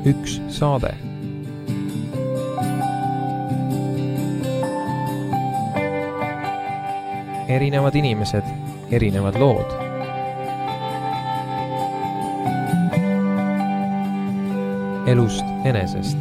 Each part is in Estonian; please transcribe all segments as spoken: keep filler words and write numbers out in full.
üks saade. Erinevad inimesed, erinevad lood. Elust enesest.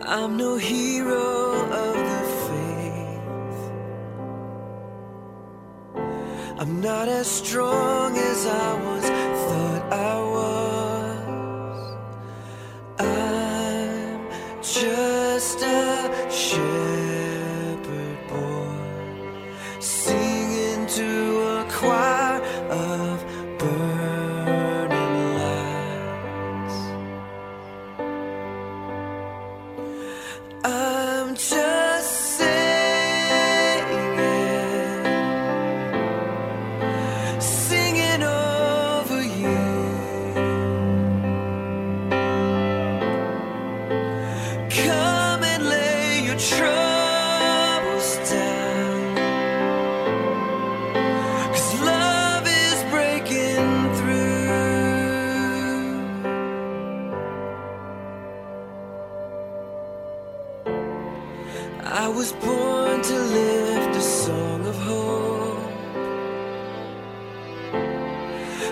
I'm no hero of the faith. I'm not as strong as I was thought I was. I'm just a shepherd boy singing to a choir of burning lights. I'm just singing, singing over you. Come and lay your troubles down, 'cause love is breaking through. I was born to lift a song of hope,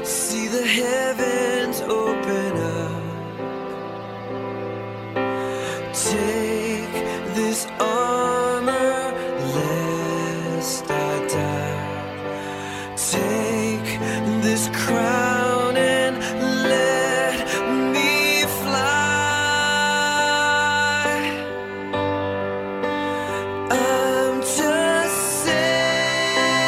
see the heavens open up, take this armor lest I die, take this crown and let me fly. I'm just saying,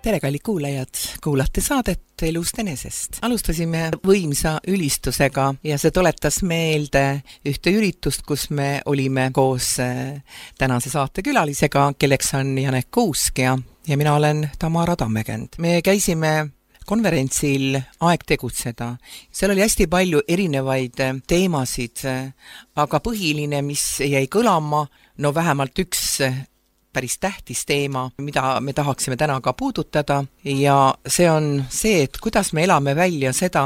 tere, kallid kuulajad, kuulate saadet Elust enesest. Alustasime võimsa ülistusega ja see tuletas meelde ühte üritust, kus me olime koos tänase saate külalisega, kelleks on Janek Kuusk ja, ja mina olen Tamara Tammekend. Me käisime konverentsil Aeg tegutseda. Seal oli hästi palju erinevaid teemasid, aga põhiline, mis jäi kõlama, no vähemalt üks päris tähtis teema, mida me tahaksime täna ka puudutada ja see on see, et kuidas me elame välja seda,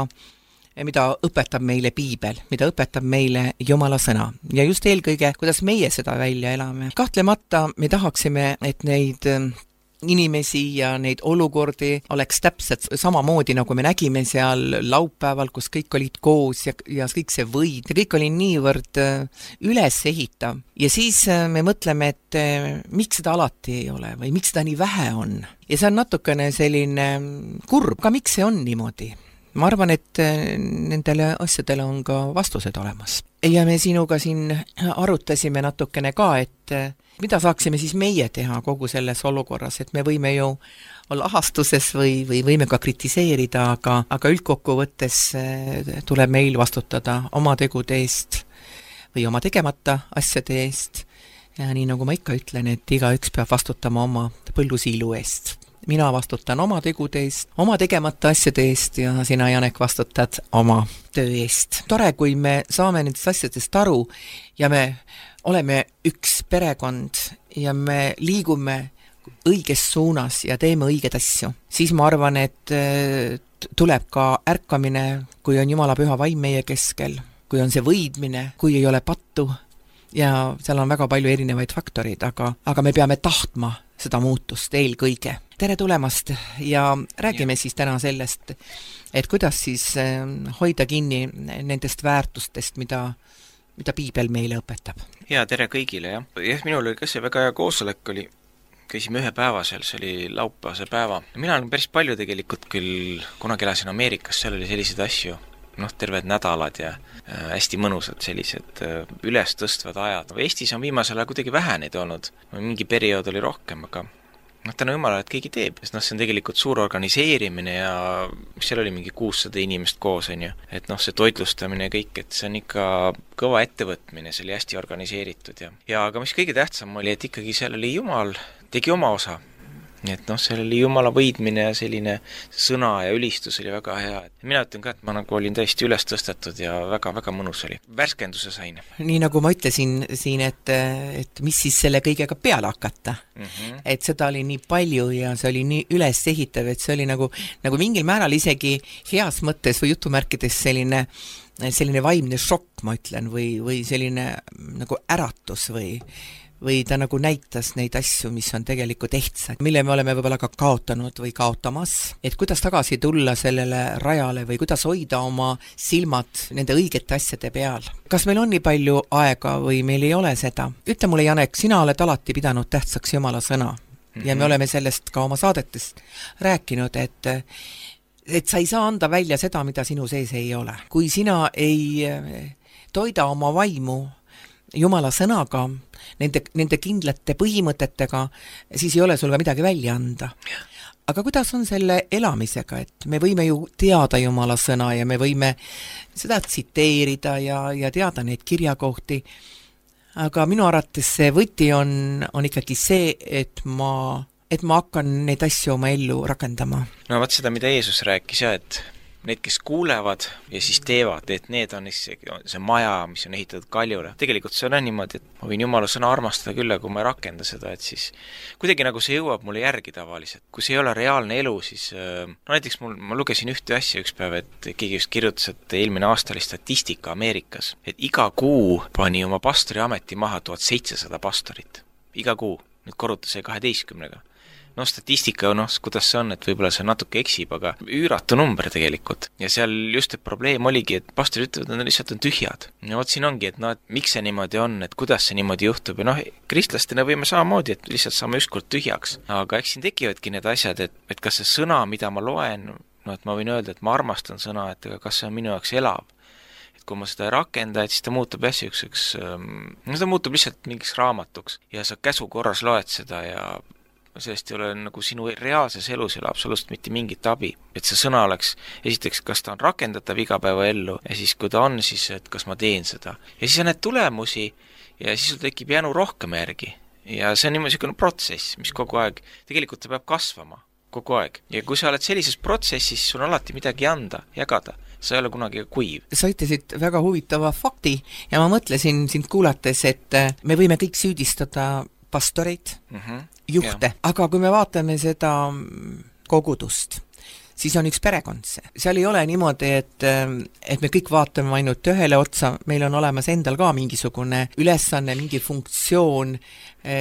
mida õpetab meile piibel, mida õpetab meile Jumala sõna ja just eelkõige, kuidas meie seda välja elame. Kahtlemata me tahaksime, et neid inimesi ja neid olukordi oleks täpselt samamoodi, nagu me nägime seal laupäeval, kus kõik olid koos ja, ja kõik see võid ja kõik oli niivõrd üles ehitav. Ja siis me mõtleme, et miks seda alati ei ole või miks seda nii vähe on. Ja see on natukene selline kurb, aga miks see on niimoodi? Ma arvan, et nendele asjadele on ka vastused olemas. Ja me sinuga siin arutasime natukene ka, et mida saaksime siis meie teha kogu selles olukorras, et me võime ju olla ahastuses või, või võime ka kritiseerida, aga, aga üldkokkuvõttes tuleb meil vastutada oma tegude eest või oma tegemata asjade eest. Ja nii nagu ma ikka ütlen, et igaüks peab vastutama oma põllusiilu eest. Mina vastutan oma tegude eest, oma tegemata asjade eest ja sina, Janek, vastutad oma töö eest. Tore, kui me saame nendest asjadest aru ja me oleme üks perekond ja me liigume õiges suunas ja teeme õiged asju, siis ma arvan, et tuleb ka ärkamine, kui on Jumala püha vaim meie keskel, kui on see võidmine, kui ei ole pattu ja seal on väga palju erinevaid faktorid, aga, aga me peame tahtma seda muutust eelkõige. Tere tulemast ja räägime ja. Siis täna sellest, et kuidas siis hoida kinni nendest väärtustest, mida mida piibel meile õpetab. Ja, tere kõigile, jah. Jah, minul oli ka see väga hea koosolek, oli, käisime ühe päeva seal, see oli laupäevase päeva. Mina olen päris palju tegelikult küll, kunagi elasin Ameerikas, seal oli selliseid asju, noh, terved nädalad ja äh, hästi mõnusad sellised äh, üles tõstvad ajad. Eestis on viimasel ajal kuidagi vähe neid olnud, mingi periood oli rohkem, aga noh, täna Jumalale, et keegi teeb, sest noh, see on tegelikult suur organiseerimine ja seal oli mingi kuussada inimest koos, on ju. Et noh, see toitlustamine ja kõik, et see on ikka kõva ettevõtmine, see oli hästi organiseeritud ja, ja aga mis kõige tähtsam oli, et ikkagi seal oli Jumal, tegi oma osa. Nii et noh, seal oli Jumala võidmine ja selline sõna ja ülistus oli väga hea. Mina ütlen ka, et ma nagu olin täiesti üles tõstetud ja väga-väga mõnus oli. Värskenduse sain. Nii nagu ma ütlesin siin, et, et mis siis selle kõigega peale hakata. Mm-hmm. Et seda oli nii palju ja see oli nii üles ehitav, et see oli nagu, nagu mingil määral isegi heas mõttes või jutumärkides selline, selline vaimne šokk, ma ütlen, või, või selline nagu äratus või või ta nagu näitas neid asju, mis on tegelikult ehtsad, mille me oleme võib-olla ka kaotanud või kaotamas, et kuidas tagasi tulla sellele rajale või kuidas hoida oma silmad nende õigete asjade peal. Kas meil on nii palju aega või meil ei ole seda? Ütle mulle, Janek, sina oled alati pidanud tähtsaks Jumala sõna mm-hmm. ja me oleme sellest ka oma saadetest rääkinud, et et sa ei saa anda välja seda, mida sinu sees ei ole. Kui sina ei toida oma vaimu Jumala sõnaga, nende, nende kindlate põhimõtetega, siis ei ole sul ka midagi välja anda. Aga kuidas on selle elamisega, et me võime ju teada Jumala sõna ja me võime seda tsiteerida ja, ja teada neid kirjakohti, aga minu arvates see võti on, on ikkagi see, et ma, et ma hakkan neid asju oma ellu rakendama. No vaat seda, mida Jeesus rääkis ja, et need, kes kuulevad ja siis teevad, et need on see, see maja, mis on ehitatud kaljule. Tegelikult see on niimoodi, et ma võin Jumala sõna armastada küll, kui ma ei rakenda seda, et siis kuidagi nagu see jõuab mulle järgi tavaliselt. Kui see ei ole reaalne elu, siis no näiteks mul, ma lugesin ühte asja üks päev, et keegi just kirjutas, et eelmine aasta oli statistika Ameerikas, et iga kuu pani oma pastori ameti maha tuhat seitsesada pastorit. Iga kuu, nüüd korruta see kaheteistkümnega. No statistika, noh, kuidas see on, et võib-olla see natuke eksib, aga üüratu number tegelikult. Ja seal just et probleem oligi, et pastorid ütlevad, et nad lihtsalt on tühjad. Ja vot siin ongi, et no, et miks see niimoodi on, et kuidas see niimoodi juhtub. Ja noh, kristlastena võime samamoodi, et lihtsalt saame ükskord tühjaks. Aga eks siin tekivadki need asjad, et, et kas see sõna, mida ma loen, no et ma võin öelda, et ma armastan sõna, et kas see on minu jaoks elav. Et kui ma seda ei rakenda, et siis ta muutub hästi ükseks, no ta muutub lihtsalt mingiks raamatuks. Ja sa käsu korras loed seda ja sellest ei ole nagu sinu reaalses elus ei ole absoluutselt mitte mingit abi. Et see sõna oleks, esiteks, kas ta on rakendatav igapäevaellu ja siis kui ta on, siis et kas ma teen seda. Ja siis on need tulemusi ja siis sul tekib jänu rohkem järgi. Ja see on niimoodi selline protsess, mis kogu aeg, tegelikult ta peab kasvama kogu aeg. Ja kui sa oled sellises protsessis, sul on alati midagi anda, jagada. Sa ei ole kunagi kuiv. Sa ütlesid väga huvitava fakti ja ma mõtlesin sind kuulates, et me võime kõik süüdistada pastoreid, mm-hmm. juhte, ja. Aga kui me vaatame seda kogudust, siis on üks perekond see. Seal ei ole niimoodi, et, et me kõik vaatame ainult ühele otsa, meil on olemas endal ka mingisugune ülesanne, mingi funktsioon,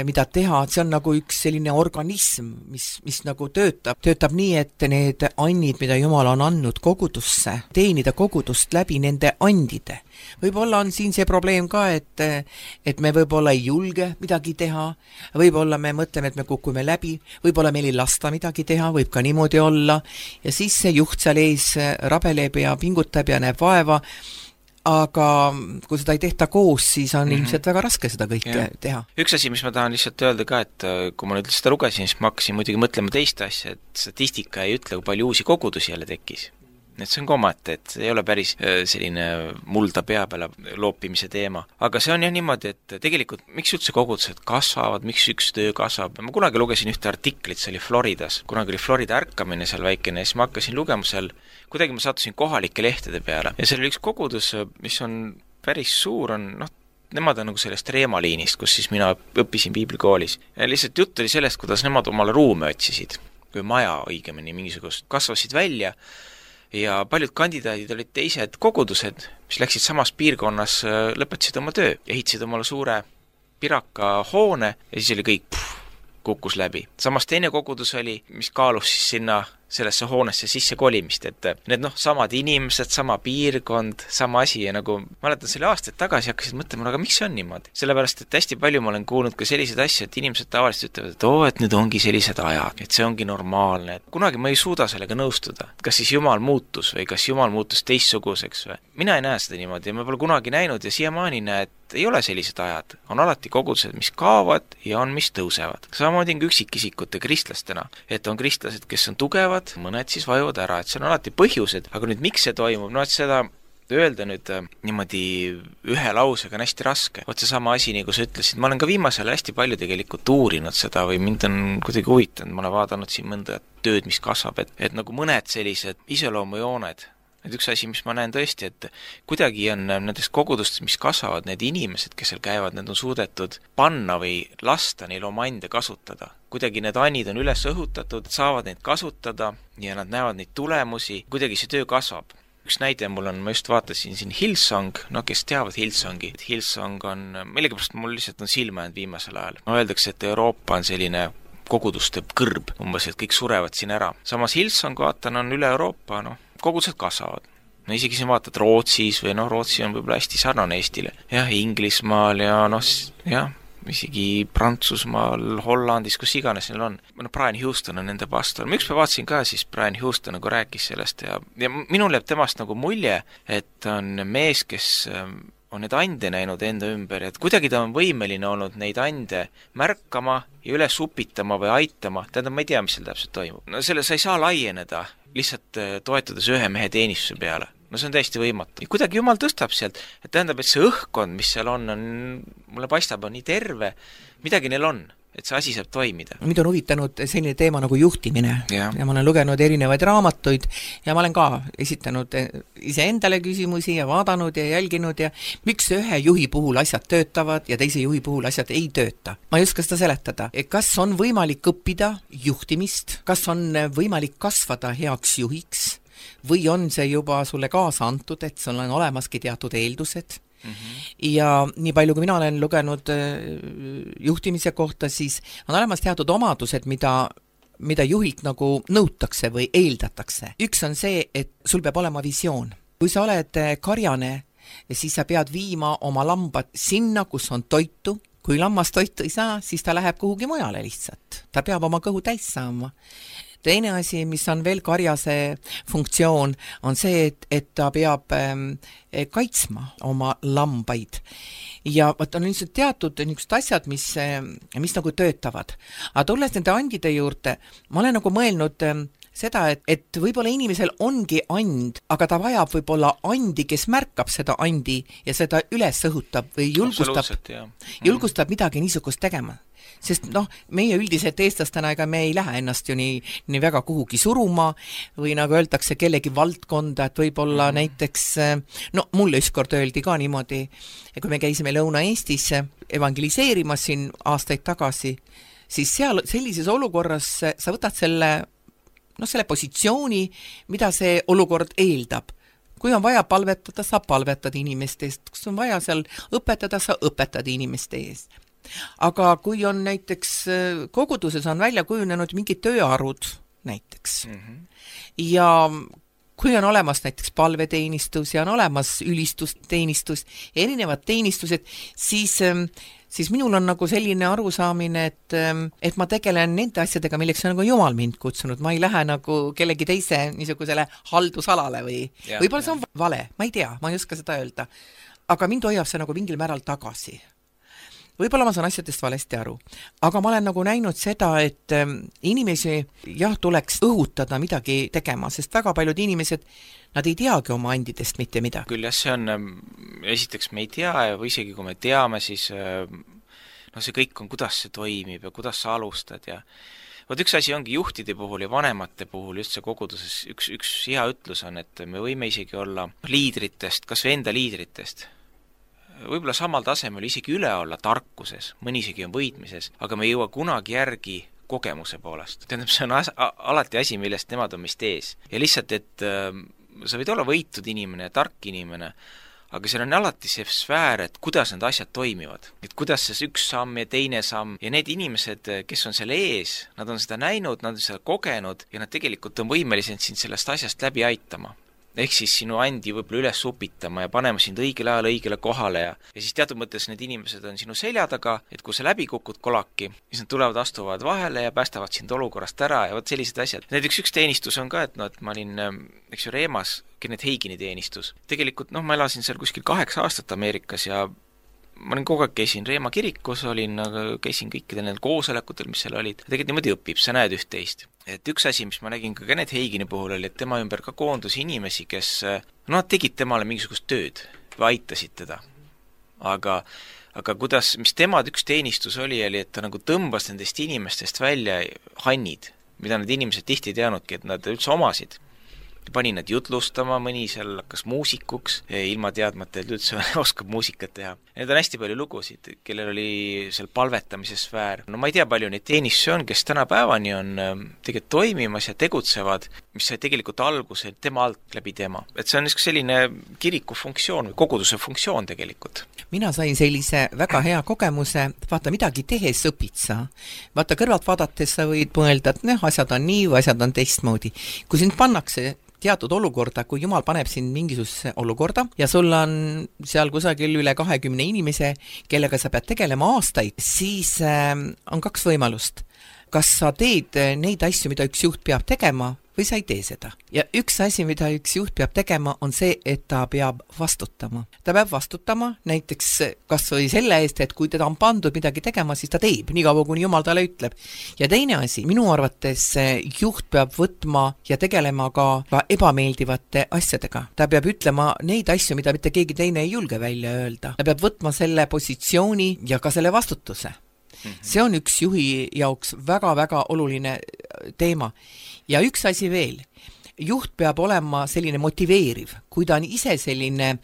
mida teha, see on nagu üks selline organism, mis, mis nagu töötab, töötab nii, et need annid, mida Jumal on andnud kogudusse, teenida kogudust läbi nende andide. Võib-olla on siin see probleem ka, et, et me võib-olla ei julge midagi teha, võib-olla me mõtleme, et me kukume läbi, võib-olla meil ei lasta midagi teha, võib ka niimoodi olla, ja siis see juht seal ees rabeleb ja pingutab ja näeb vaeva, aga kui seda ei tehta koos, siis on mm-hmm. ilmselt väga raske seda kõike ja. Teha. Üks asi, mis ma tahan lihtsalt öelda ka, et kui ma nüüd seda lugesin, siis ma hakkasin muidugi mõtlema teist asja, et statistika ei ütle, kui palju uusi kogudusi jälle tekkis. Et see on komate, et see ei ole päris selline mulda pea peale loopimise teema. Aga see on jah niimoodi, et tegelikult miks üldse kogudused kasvavad, miks üks töö kasvab. Ma kunagi lugesin ühte artiklit, see oli Floridas. Kunagi oli Florida ärkamine seal väikene ja siis ma hakkasin lugema seal, kuidagi ma sattusin kohalike lehtede peale. Ja seal oli üks kogudus, mis on päris suur, on noh, nemad on nagu sellest reemaliinist, kus siis mina õppisin piiblikoolis. Ja lihtsalt jutt oli sellest, kuidas nemad omale ruume otsisid, kui maja õigemini mingisugust kasvasid välja. Ja paljud kandidaadid olid teised kogudused, mis läksid samas piirkonnas, lõpetasid oma töö, ehitasid omale suure piraka hoone ja siis oli kõik pff, kukkus läbi. Samas teine kogudus oli, mis kaalus siis sinna sellesse hoonesse sisse kolimist, et need noh, samad inimesed, sama piirkond, sama asi ja nagu mäletan selle aastaid tagasi hakkasid mõtlema, aga miks see on niimoodi? Sellepärast, et hästi palju ma olen kuulnud ka selliseid asju, et inimesed tavaliselt ütlevad, et oo, et nüüd ongi sellised ajad, et see ongi normaalne. Et kunagi ma ei suuda sellega nõustuda. Kas siis Jumal muutus või kas Jumal muutus teistsuguseks või? Mina ei näe seda niimoodi ja ma pole kunagi näinud ja siiamaani näe, et ei ole sellised ajad. On alati kogudused, mis kaovad ja on, mis tõusevad. Samamoodi on üksikisikute kristlastena, et on kristlased, kes on tugevad, mõned siis vajuvad ära, et see on alati põhjused, aga nüüd miks see toimub, no et seda öelda nüüd niimoodi ühe lausega on hästi raske. Oot see sama asi, nagu sa ütlesid, ma olen ka viimasel hästi palju tegelikult uurinud seda või mind on kuidagi huvitanud, ma olen vaadanud siin mõnda tööd, mis kasvab, et, et nagu mõned sellised iseloomujooned. Et üks asi, mis ma näen tõesti, et kuidagi on nendest kogudustest, mis kasvavad, need inimesed, kes seal käivad, need on suudetud panna või lasta neil oma ande kasutada. Kuidagi need annid on üles õhutatud, saavad neid kasutada ja nad näevad neid tulemusi, kuidagi see töö kasvab. Üks näide mul on, ma just vaatasin siin Hillsong, no kes teavad Hillsongi. Hillsong on, millegipärast mul lihtsalt on silma jäänud viimasel ajal. No öeldakse, et Euroopa on selline koguduste kõrb, umbes, et kõik surevad siin ära. Samas Hillsong, vaatan, on üle Euroopa, noh, kogudused kasvavad. No isegi siin vaatad Rootsis või noh, Rootsi on võib-olla hästi sarnane Eestile. Jah, Inglismaal ja noh, jah, isegi Prantsusmaal, Hollandis, kus iganes neil on. No Brian Houston on nende pastor. Ma ükspäev vaatasin ka siis Brian Houston nagu rääkis sellest ja, ja minul jääb temast nagu mulje, et on mees, kes on need ande näinud enda ümber, et kuidagi ta on võimeline olnud neid ande märkama ja üles upitama või aitama. Tähendab, ma ei tea, mis seal täpselt toimub. No selle sa ei saa laieneda lihtsalt toetudes ühe mehe teenistuse peale. No see on täiesti võimatu. Ja kuidagi Jumal tõstab sealt, et tähendab, et see õhkkond, mis seal on, on mulle paistab, on nii terve, midagi neil on, et see asi saab toimida. Mind on huvitanud selline teema nagu juhtimine ja. ja ma olen lugenud erinevaid raamatuid ja ma olen ka esitanud iseendale küsimusi ja vaadanud ja jälginud ja miks ühe juhi puhul asjad töötavad ja teise juhi puhul asjad ei tööta. Ma ei oska seda seletada. Kas on võimalik õppida juhtimist? Kas on võimalik kasvada heaks juhiks? Või on see juba sulle kaasa antud, et sul on olemaski teatud eeldused? Mm-hmm. Ja nii palju, kui mina olen lugenud juhtimise kohta, siis on olemas teatud omadused, mida, mida juhilt nagu nõutakse või eeldatakse. Üks on see, et sul peab olema visioon. Kui sa oled karjane, siis sa pead viima oma lambad sinna, kus on toitu. Kui lammas toitu ei saa, siis ta läheb kuhugi mujale lihtsalt. Ta peab oma kõhu täis saama. Teine asi, mis on veel karjase funktsioon, on see, et, et ta peab ähm, kaitsma oma lambaid. ja vaat on lihtsalt teatud niisugused asjad, mis, mis nagu töötavad. Aga tulles nende andide juurde, ma olen nagu mõelnud seda, et, et võib-olla inimesel ongi and, aga ta vajab võib-olla andi, kes märkab seda andi ja seda üles õhutab või julgustab, julgustab midagi niisugust tegema. Sest noh, meie üldiselt eestlastena, ega me ei lähe ennast ju nii, nii väga kuhugi suruma või nagu öeldakse kellegi valdkonda, et võib-olla mm. näiteks, no mulle ükskord öeldi ka niimoodi, kui me käisime Lõuna-Eestis evangeliseerimas siin aastaid tagasi, siis seal sellises olukorras sa võtad selle, no selle positsiooni, mida see olukord eeldab. Kui on vaja palvetada, sa palvetad inimeste eest, kus on vaja seal õpetada, sa õpetad inimeste eest. Aga kui on näiteks koguduses on välja kujunenud mingid tööarud näiteks mm-hmm. ja kui on olemas näiteks palveteenistus ja on olemas ülistusteenistus, erinevad teenistused, siis, siis minul on nagu selline arusaamine, et, et ma tegelen nende asjadega, milleks on nagu Jumal mind kutsunud, ma ei lähe nagu kellegi teise niisugusele haldusalale või ja, võib-olla see on vale, ma ei tea, ma ei oska seda öelda, aga mind hoiab see nagu mingil määral tagasi. Võib-olla ma saan asjadest valesti aru, aga ma olen nagu näinud seda, et inimesi jah, tuleks õhutada midagi tegema, sest väga paljud inimesed, nad ei teagi oma andidest mitte midagi. Küll jah, see on, esiteks me ei tea ja või isegi kui me teame, siis no see kõik on, kuidas see toimib ja kuidas sa alustad ja Vot üks asi ongi juhtide puhul ja vanemate puhul just see koguduses, üks, üks hea ütlus on, et me võime isegi olla liidritest, kas või enda liidritest, võib-olla samal tasemel isegi üle olla tarkuses, mõni isegi on võitmises, aga me ei jõua kunagi järgi kogemuse poolest. Tähendab, see on as- alati asi, millest nemad on meist ees. Ja lihtsalt, et äh, sa võid olla võitud inimene ja tark inimene, aga seal on alati see sfäär, et kuidas need asjad toimivad. Et kuidas see üks samm ja teine samm ja need inimesed, kes on selle ees, nad on seda näinud, nad on seda kogenud ja nad tegelikult on võimelised sind sellest asjast läbi aitama. Ehk siis sinu andi võib-olla üles upitama ja panema sind õigel ajal õigele kohale ja, ja siis teatud mõttes need inimesed on sinu selja taga, et kui sa läbi kukud kolaki, siis nad tulevad, astuvad vahele ja päästavad sind olukorrast ära ja vot sellised asjad. Näiteks üks teenistus on ka, et no, et ma olin, eks ju, Reemas, Kenneth Hagini teenistus. Tegelikult, noh, ma elasin seal kuskil kaheksa aastat Ameerikas ja ma olin kogu aeg käisin Reema kirikus, olin, käisin kõikidel need koosolekutel, mis seal olid. Tegelikult niimoodi õpib, sa näed üht-teist. Et üks asi, mis ma nägin ka Kenneth Hagini puhul oli, et tema ümber ka koondus inimesi, kes no, tegid temale mingisugust tööd või aitasid teda. Aga, aga kuidas, mis temad üks teenistus oli, oli, et ta nagu tõmbas nendest inimestest välja hannid, mida need inimesed tihti ei teadnudki, et nad üldse omasid. Pani nad jutlustama, mõni seal hakkas muusikuks, ilma teadmata, et üldse oskab muusikat teha. Need on hästi palju lugusid, kellel oli seal palvetamise sfäär. No ma ei tea, palju neid teenistusi on, kes tänapäevani on tegelikult toimimas ja tegutsevad, mis sai tegelikult alguse tema alt läbi tema. Et see on selline kiriku funktsioon või koguduse funktsioon tegelikult. Mina sain sellise väga hea kogemuse, vaata midagi tehes õpid sa. Vaata kõrvalt vaadates sa võid mõelda, et ne, asjad on nii või asjad on teistmoodi. Kui sind pannakse teatud olukorda, kui Jumal paneb sind mingisugusesse olukorda ja sul on seal kusagil üle kahekümne inimese, kellega sa pead tegelema aastaid, siis äh, on kaks võimalust. Kas sa teed neid asju, mida üks juht peab tegema või sa ei tee seda. Ja üks asi, mida üks juht peab tegema, on see, et ta peab vastutama. Ta peab vastutama näiteks kas või selle eest, et kui teda on pandud midagi tegema, siis ta teeb, nii kaua kuni Jumal talle ütleb. Ja teine asi, minu arvates juht peab võtma ja tegelema ka ebameeldivate asjadega. Ta peab ütlema neid asju, mida mitte keegi teine ei julge välja öelda. Ta peab võtma selle positsiooni ja ka selle vastutuse. See on üks juhi jaoks väga-väga oluline teema. Ja üks asi veel, juht peab olema selline motiveeriv, kui ta on ise selline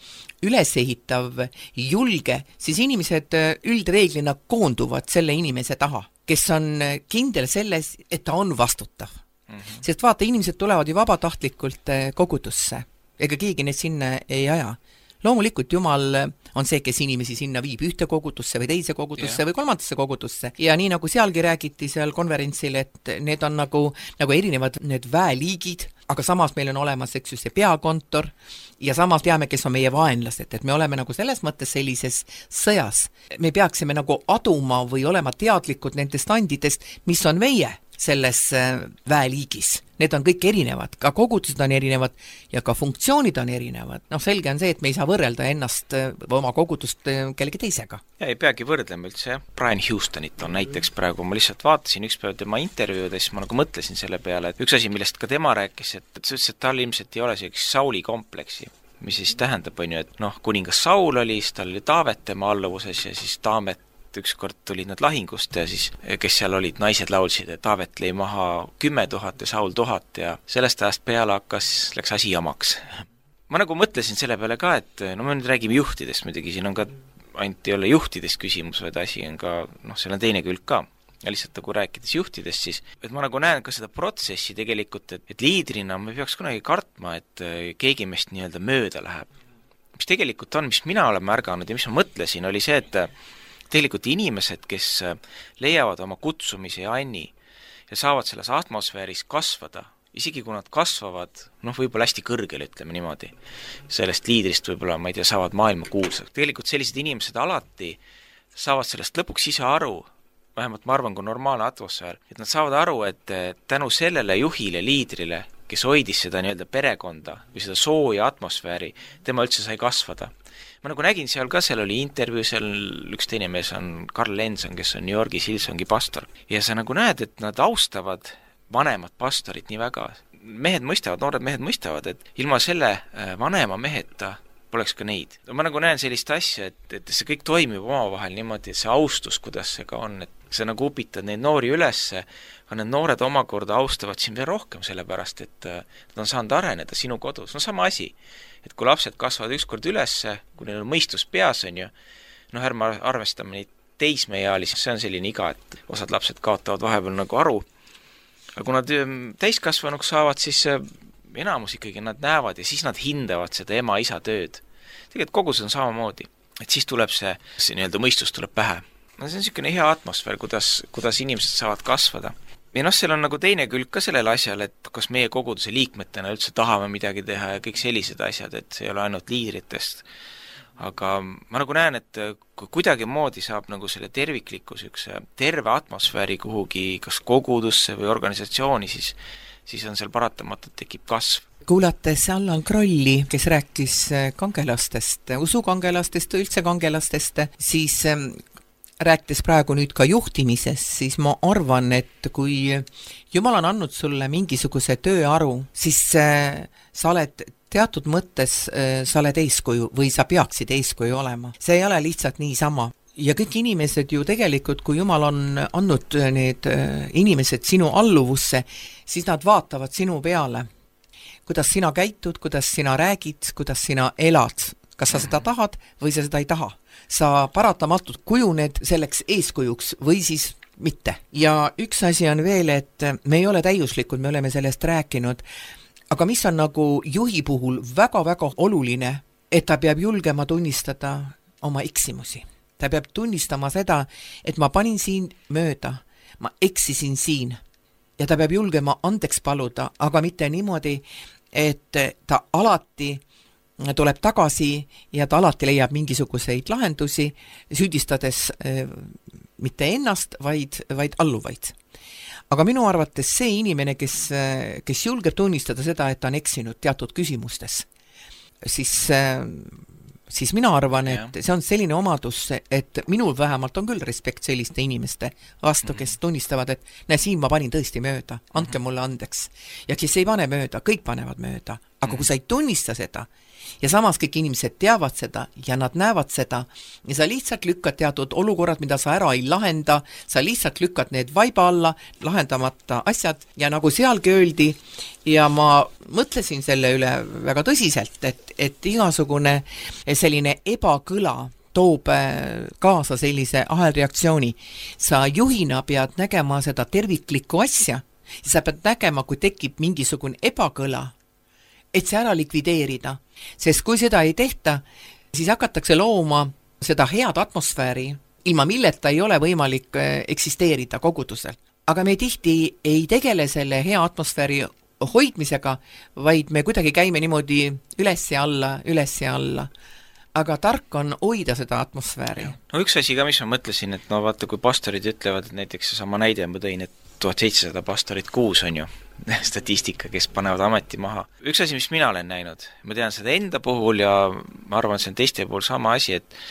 ülesehitav, julge, siis inimesed üldreeglina koonduvad selle inimese taha, kes on kindel selles, et ta on vastutav. Mm-hmm. Sest vaata, inimesed tulevad ju vabatahtlikult kogudusse, ega keegi neid sinna ei aja. Loomulikult Jumal on see, kes inimesi sinna viib ühte kogudusse või teise kogudusse yeah. või kolmandasse kogudusse. Ja nii nagu sealgi räägiti seal konverentsil, et need on nagu, nagu erinevad need väeliigid, aga samas meil on olemas, eks ju, see peakontor ja samas teame, kes on meie vaenlased, et me oleme nagu selles mõttes sellises sõjas. Me peaksime nagu aduma või olema teadlikud nendest andidest, mis on meie. selles väeliigis. Need on kõik erinevad, ka kogudused on erinevad ja ka funktsioonid on erinevad. Noh, selge on see, et me ei saa võrrelda ennast või oma kogudust kellegi teisega. Ja ei peagi võrdlema üldse, jah. Brian Houstonit on näiteks praegu, ma lihtsalt vaatasin üks päev tema intervjuudes, ma nagu mõtlesin selle peale, et üks asi, millest ka tema rääkis, et, et, et tal ilmselt ei ole selleks Sauli kompleksi, mis siis tähendab, on ju, et noh, kuningas Saul oli, siis tal oli Taavet tema alluvuses ja siis Taamet ükskord tulid nad lahingust ja siis, kes seal olid, naised laulsid, et Taavet lõi maha kümme tuhat ja Saul tuhat ja sellest ajast peale hakkas, läks asi jamaks. Ma nagu mõtlesin selle peale ka, et no me nüüd räägime juhtidest muidugi, siin on ka ainult ei ole juhtidest küsimus, vaid asi on ka, noh, seal on teine külg ka. Ja lihtsalt nagu rääkides juhtidest, siis et ma nagu näen ka seda protsessi tegelikult, et, et liidrina me peaks kunagi kartma, et keegi meist nii-öelda mööda läheb. Mis tegelikult on, mis mina olen märganud ja mis ma mõtlesin, oli see, et tegelikult inimesed, kes leiavad oma kutsumise ja anni ja saavad selles atmosfääris kasvada, isegi kui nad kasvavad, noh, võib-olla hästi kõrgel, ütleme niimoodi, sellest liidrist võib-olla, ma ei tea, saavad maailma kuulsaks. Tegelikult sellised inimesed alati saavad sellest lõpuks ise aru, vähemalt ma arvan, kui normaalne atmosfäär, et nad saavad aru, et tänu sellele juhile, liidrile, kes hoidis seda nii-öelda perekonda või seda sooja atmosfääri, tema üldse sai kasvada. Ma nagu nägin seal ka, seal oli intervjuu, seal üks teine mees on Karl Lenson, kes on New Yorgis Hillsongi pastor. Ja sa nagu näed, et nad austavad vanemad pastorit nii väga. Mehed mõistavad, noored mehed mõistavad, et ilma selle vanema meheta poleks ka neid. Ma nagu näen sellist asja, et, et see kõik toimib omavahel niimoodi, et see austus, kuidas see ka on, et sa nagu upitad neid noori ülesse, aga need noored omakorda austavad siin veel rohkem, sellepärast, et nad on saanud areneda sinu kodus. No sama asi, et kui lapsed kasvavad ükskord ülesse, kui neil on mõistus peas, on ju, noh, ärme arvestame neid teismeealisi, see on selline iga, et osad lapsed kaotavad vahepeal nagu aru, aga kui nad täiskasvanuks saavad, siis enamus ikkagi nad näevad ja siis nad hindavad seda ema-isa tööd. Tegelikult kogus on samamoodi, et siis tuleb see, see nii-öelda mõistus tuleb pähe. No see on niisugune hea atmosfäär, kuidas, kuidas inimesed saavad kasvada. Ja noh, seal on nagu teine külg ka sellel asjal, et kas meie koguduse liikmetena üldse tahame midagi teha ja kõik sellised asjad, et see ei ole ainult liidritest. Aga ma nagu näen, et kui kuidagi moodi saab nagu selle terviklikkus üks terve atmosfääri kuhugi kas kogudusse või organisatsiooni, siis, siis on seal paratamatult tekib kasv. Kuulates Allan Krolli, kes rääkis kangelastest, usukangelastest, üldse kangelastest, siis rääkides praegu nüüd ka juhtimisest, siis ma arvan, et kui Jumal on andnud sulle mingisuguse tööaru, siis sa oled teatud mõttes, sa oled eeskuju või sa peaksid eeskuju olema. See ei ole lihtsalt niisama. Ja kõik inimesed ju tegelikult, kui Jumal on andnud need inimesed sinu alluvusse, siis nad vaatavad sinu peale. Kuidas sina käitud, kuidas sina räägid, kuidas sina elad. Kas sa seda tahad või sa seda ei taha. Sa paratamatult kujuned selleks eeskujuks või siis mitte. Ja üks asi on veel, et me ei ole täiuslikud, me oleme sellest rääkinud, aga mis on nagu juhi puhul väga-väga oluline, et ta peab julgema tunnistada oma eksimusi. Ta peab tunnistama seda, et ma panin siin mööda, ma eksisin siin ja ta peab julgema andeks paluda, aga mitte niimoodi, et ta alati tuleb tagasi ja ta alati leiab mingisuguseid lahendusi, süüdistades äh, mitte ennast, vaid, vaid alluvaid. Aga minu arvates see inimene, kes, kes julgeb tunnistada seda, et ta on eksinud teatud küsimustes, siis, siis mina arvan, et see on selline omadus, et minul vähemalt on küll respekt selliste inimeste vastu, kes tunnistavad, et näe, siin ma panin tõesti mööda, andke mulle andeks. Ja kes ei pane mööda, kõik panevad mööda. Aga kui sa ei tunnista seda, ja samas kõik inimesed teavad seda ja nad näevad seda ja sa lihtsalt lükkad teatud olukorrad, mida sa ära ei lahenda, sa lihtsalt lükkad need vaiba alla, lahendamata asjad ja nagu sealgi öeldi ja ma mõtlesin selle üle väga tõsiselt, et, et igasugune selline ebakõla toob kaasa sellise ahelreaktsiooni. Sa juhina pead nägema seda terviklikku asja ja sa pead nägema, kui tekib mingisugune ebakõla, et see ära likvideerida, sest kui seda ei tehta, siis hakatakse looma seda head atmosfääri, ilma milleta ei ole võimalik eksisteerida kogudusel. Aga me tihti ei tegele selle hea atmosfääri hoidmisega, vaid me kuidagi käime niimoodi üles ja alla, üles ja alla. aga tark on hoida seda atmosfääri. No üks asi ka, mis ma mõtlesin, et no vaata, kui pastorid ütlevad, et näiteks sama näide ma tõin, et tuhat seitsesada pastorit kuus on ju statistika, kes panevad ameti maha. Üks asi, mis mina olen näinud, ma tean seda enda puhul ja ma arvan, et see on teiste puhul sama asi, et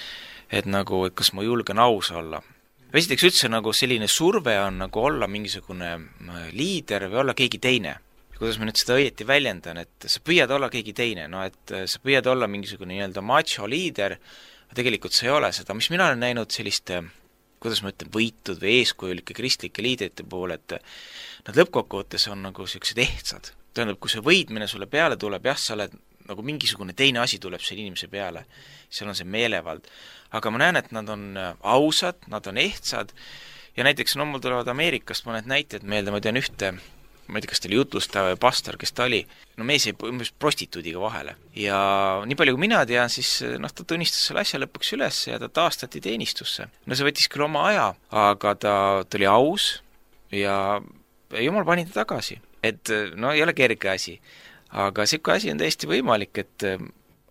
et nagu, et kas ma julgen aus olla. Esiteks üldse nagu selline surve on nagu olla mingisugune liider või olla keegi teine. Kuidas ma nüüd seda õieti väljendan, et sa püüad olla keegi teine, no et sa püüad olla mingisugune nii-öelda macho liider, aga tegelikult sa ei ole seda, mis mina olen näinud selliste, kuidas ma ütlen, võitud või eeskujulike kristlike liidrite puhul, et nad lõppkokkuvõttes on nagu sellised ehtsad. Tähendab, kui see võidmine sulle peale tuleb, jah, sa oled nagu mingisugune teine asi tuleb selle inimese peale, seal on see meelevald. Aga ma näen, et nad on ausad, nad on ehtsad ja näiteks no mul tulevad Ameerikast mõned näited meelde, ma tean ühte, ma ei tea, kas ta oli jutlustaja või pastor, kes ta oli, no mees jäi prostituudiga vahele. Ja nii palju kui mina tean, siis noh, ta tunnistas selle asja lõpuks üles ja ta taastati teenistusse. No see võttis küll oma aja, aga ta, ta oli aus ja jumal pani ta tagasi. Et no ei ole kerge asi, aga siuke asi on täiesti võimalik, et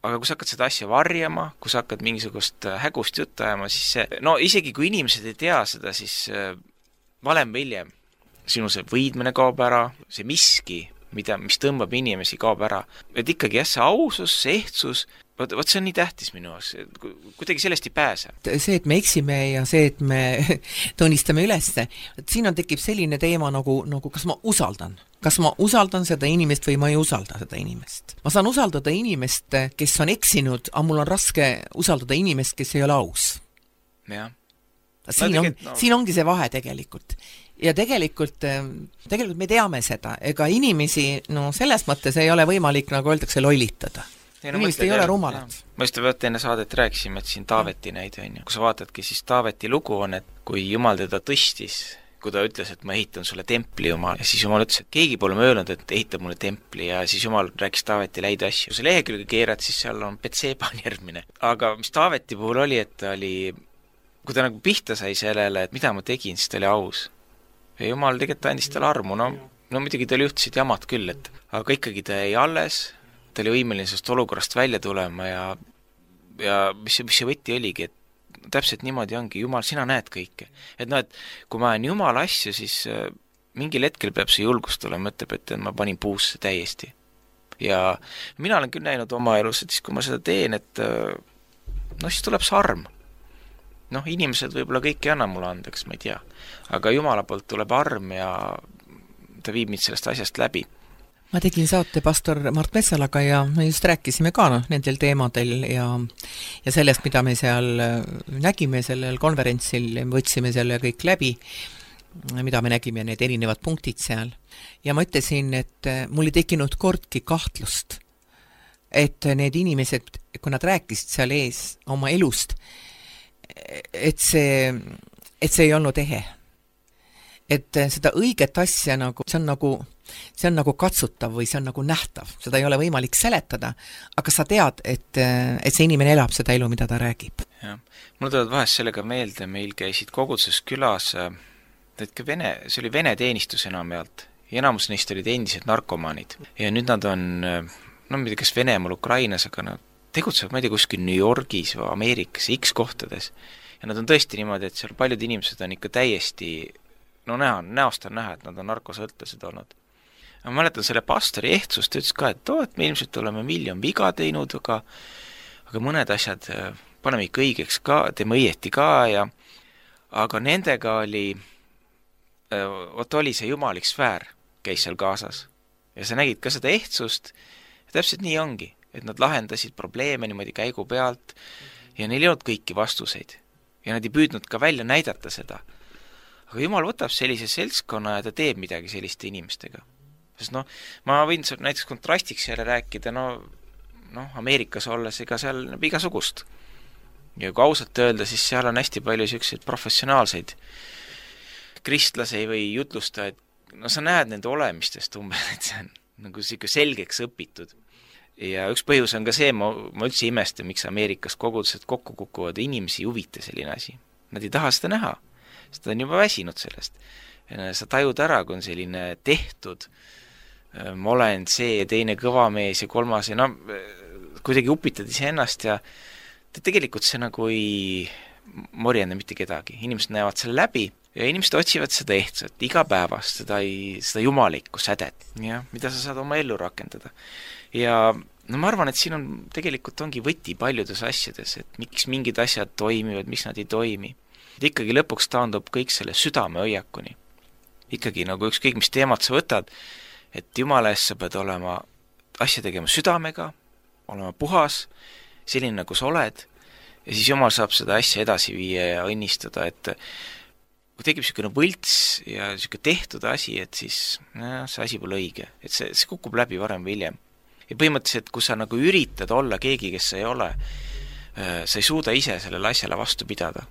aga kui sa hakkad seda asja varjama, kui sa hakkad mingisugust hägust juttu ajama, siis see, no isegi kui inimesed ei tea seda, siis valem või hiljem sinu see võidmine kaob ära, see miski, mida, mis tõmbab inimesi, kaob ära. Et ikkagi jah, see ausus, see ehtsus, võt, võt see on nii tähtis minu jaoks, kuidagi sellest ei pääse. See, et me eksime ja see, et me tunnistame ülesse, siin on tekib selline teema nagu, nagu kas ma usaldan. Kas ma usaldan seda inimest või ma ei usalda seda inimest. Ma saan usaldada inimest, kes on eksinud, aga mul on raske usaldada inimest, kes ei ole aus. Jah. Siin, on, no. siin ongi see vahe tegelikult. Ja tegelikult, tegelikult me teame seda, ega inimesi, no selles mõttes ei ole võimalik, nagu öeldakse, lollitada. Ja no inimesed ei ole rumalad. Ma just võtta enne saadet rääkisime, et siin Taaveti näide on ju. Kui sa vaatadki, siis Taaveti lugu on, et kui Jumal teda tõstis, kui ta ütles, et ma ehitan sulle templi Jumal, ja siis Jumal ütles, et keegi pole möönud, et ehitab mulle templi ja siis Jumal rääkis Taaveti läid asju. Kui sa lehekülge keerad, siis seal on Betseba on järgmine. Aga mis Taaveti puhul oli, et ta oli, kui ta nagu pihta sai sellele, et mida ma tegin, siis ta oli aus. Ja Jumal tegelikult andis tal armu, no, no muidugi tal juhtusid jamad küll, et aga ikkagi ta jäi alles, ta oli võimeline sellest olukorrast välja tulema ja, ja mis, mis see võtti oligi, et täpselt niimoodi ongi, Jumal, sina näed kõike. Et no, et kui ma olen Jumal asju, siis äh, mingil hetkel peab see julgust tulema, ütleb, et ma panin puusse täiesti. Ja mina olen küll näinud oma elus, et siis kui ma seda teen, et äh, no siis tuleb see arm. Noh, inimesed võib-olla kõik ei anna mulle andeks, ma ei tea. Aga Jumala poolt tuleb arm ja ta viib mind sellest asjast läbi. Ma tegin saate pastor Mart Metsalaga ja me just rääkisime ka no, nendel teemadel ja, ja sellest, mida me seal nägime sellel konverentsil, võtsime selle kõik läbi, mida me nägime, need erinevad punktid seal. Ja ma ütlesin, et mul ei tekkinud kordki kahtlust, et need inimesed, kui nad rääkisid seal ees oma elust, et see, et see ei olnud ehe. Et seda õiget asja nagu, see on nagu, see on nagu katsutav või see on nagu nähtav. Seda ei ole võimalik seletada, aga sa tead, et, et see inimene elab seda elu, mida ta räägib. Ja. Mul tuleb vahest sellega meelde, meil käisid koguduses külas, et vene, see oli vene teenistus enamjaolt ja enamus neist olid endised narkomaanid. Ja nüüd nad on, no ma ei tea, kas Venemaal, Ukrainas, aga nad tegutsevad, ma ei tea, kuskil New Yorgis või Ameerikas, X kohtades. Ja nad on tõesti niimoodi, et seal paljud inimesed on ikka täiesti, no näha, näost on näha, et nad on narkosõltlased olnud. Ma mäletan selle pastori ehtsust, ütles ka, et, oh, et me ilmselt oleme miljon viga teinud, aga, aga mõned asjad paneme ikka õigeks ka, teeme õieti ka ja aga nendega oli, oot oli see jumalik sfäär, käis seal kaasas. Ja sa nägid ka seda ehtsust ja täpselt nii ongi. Et nad lahendasid probleeme niimoodi käigu pealt ja neil ei olnud kõiki vastuseid. Ja nad ei püüdnud ka välja näidata seda. Aga Jumal võtab sellise seltskonna ja ta teeb midagi selliste inimestega. Sest noh, ma võin näiteks kontrastiks jälle rääkida, no, no Ameerikas olles ega seal näeb igasugust. Ja kui ausalt öelda, siis seal on hästi palju selliseid professionaalseid kristlasi või jutlustajaid. No sa näed nende olemistest umbes, et see on nagu selgeks õpitud. Ja üks põhjus on ka see, ma, ma üldse imestan, miks Ameerikas kogudused kokku kukuvad, inimesi huvita selline asi. Nad ei taha seda näha, sest ta on juba väsinud sellest. Ja sa tajud ära, kui on selline tehtud, ma olen see ja teine kõvamees ja kolmas ja no, kuidagi upitad ise ennast ja et tegelikult see nagu ei morjenda mitte kedagi, inimesed näevad selle läbi ja inimesed otsivad seda ehtsat, igapäevast, seda, ei, seda jumalikku sädet, jah, mida sa saad oma ellu rakendada. Ja no ma arvan, et siin on tegelikult ongi võti paljudes asjades, et miks mingid asjad toimivad, miks nad ei toimi. Et ikkagi lõpuks taandub kõik selle südame hoiakuni. Ikkagi nagu ükskõik, mis teemad sa võtad, et jumala eest sa pead olema asja tegema südamega, olema puhas, selline nagu sa oled, ja siis jumal saab seda asja edasi viia ja õnnistada, et kui tekib niisugune võlts ja niisugune tehtud asi, et siis no, see asi pole õige, et see, see kukub läbi varem või hiljem. Ja põhimõtteliselt, kui sa nagu üritad olla keegi, kes sa ei ole, sa ei suuda ise sellele asjale vastu pidada.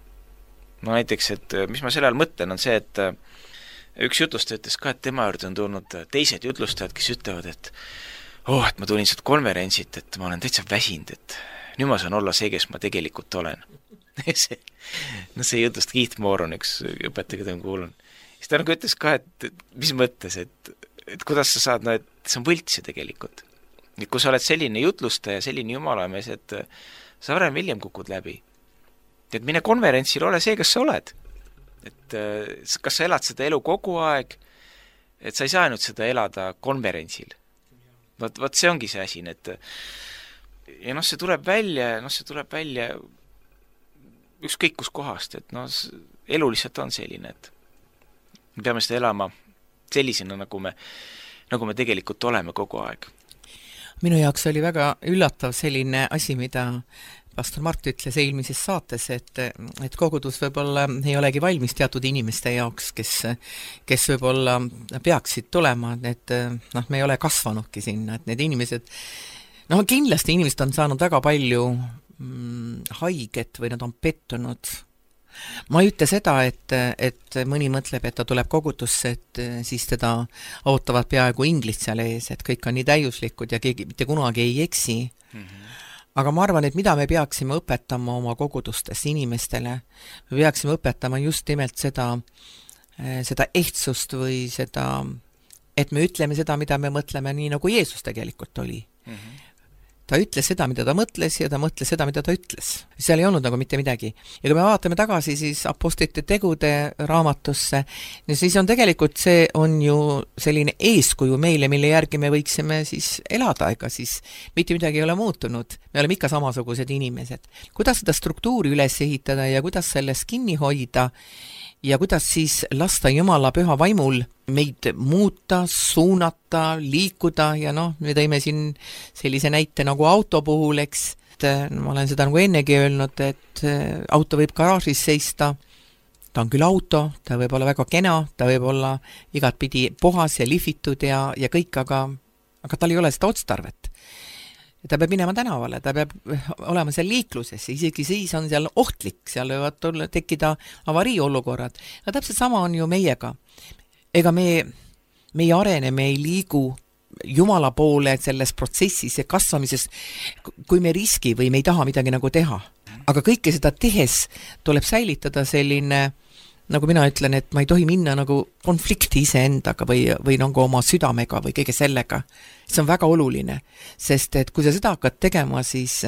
No näiteks, et mis ma selle all mõtlen, on see, et üks jutlustaja ütles ka, et tema juurde on tulnud teised jutlustajad, kes ütlevad, et oh, et ma tulin sealt konverentsit, et ma olen täitsa väsinud, et nüüd ma saan olla see, kes ma tegelikult olen. see, no see jutust Keith Moore on üks õpetaja, keda ma kuulan. Siis ta nagu ütles ka, et mis mõttes, et, et kuidas sa saad, no et see on võltsi tegelikult. Et kui sa oled selline jutlustaja, selline jumalamees, et sa varem hiljem kukud läbi. Et mine konverentsil, ole see, kes sa oled. Et kas sa elad seda elu kogu aeg, et sa ei saa ainult seda elada konverentsil. Vaat, vaat see ongi see asi, et ja noh, see tuleb välja, noh, see tuleb välja ükskõik kus kohast, et noh, elu lihtsalt on selline, et me peame seda elama sellisena, nagu me, nagu me tegelikult oleme kogu aeg. Minu jaoks oli väga üllatav selline asi, mida pastor Mart ütles eelmises saates, et, et kogudus võib-olla ei olegi valmis teatud inimeste jaoks, kes, kes võib-olla peaksid tulema, et noh, me ei ole kasvanudki sinna, et need inimesed, noh kindlasti inimesed on saanud väga palju mm, haiget või nad on pettunud. Ma ei ütle seda, et, et mõni mõtleb, et ta tuleb kogudusse, et siis teda ootavad peaaegu inglid seal ees, et kõik on nii täiuslikud ja keegi mitte kunagi ei eksi. Mm-hmm. Aga ma arvan, et mida me peaksime õpetama oma kogudustes inimestele, me peaksime õpetama just nimelt seda, seda ehtsust või seda, et me ütleme seda, mida me mõtleme nii, nagu Jeesus tegelikult oli. Mm-hmm. Ta ütles seda, mida ta mõtles ja ta mõtles seda, mida ta ütles. Seal ei olnud nagu mitte midagi. Ja kui me vaatame tagasi siis apostlite tegude raamatusse, siis on tegelikult see on ju selline eeskuju meile, mille järgi me võiksime siis elada, ega siis mitte midagi ei ole muutunud. Me oleme ikka samasugused inimesed. Kuidas seda struktuuri üles ehitada ja kuidas sellest kinni hoida ja kuidas siis lasta Jumala püha vaimul meid muuta, suunata, liikuda ja noh, me tõime siin sellise näite nagu auto puhul, eks, et ma olen seda nagu ennegi öelnud, et auto võib garaažis seista, ta on küll auto, ta võib olla väga kena, ta võib olla igatpidi puhas ja lihvitud ja, ja kõik, aga, aga tal ei ole seda otstarvet. Ta peab minema tänavale, ta peab olema seal liikluses, isegi siis on seal ohtlik, seal võivad tulla, tekkida avariiolukorrad. Ja täpselt sama on ju meiega. Ega me, me ei arene, me ei liigu Jumala poole selles protsessis ja kasvamises, kui me riski või me ei taha midagi nagu teha. Aga kõike seda tehes tuleb säilitada selline, nagu mina ütlen, et ma ei tohi minna nagu konflikti iseendaga või, või nagu oma südamega või kõige sellega. See on väga oluline, sest et kui sa seda hakkad tegema, siis,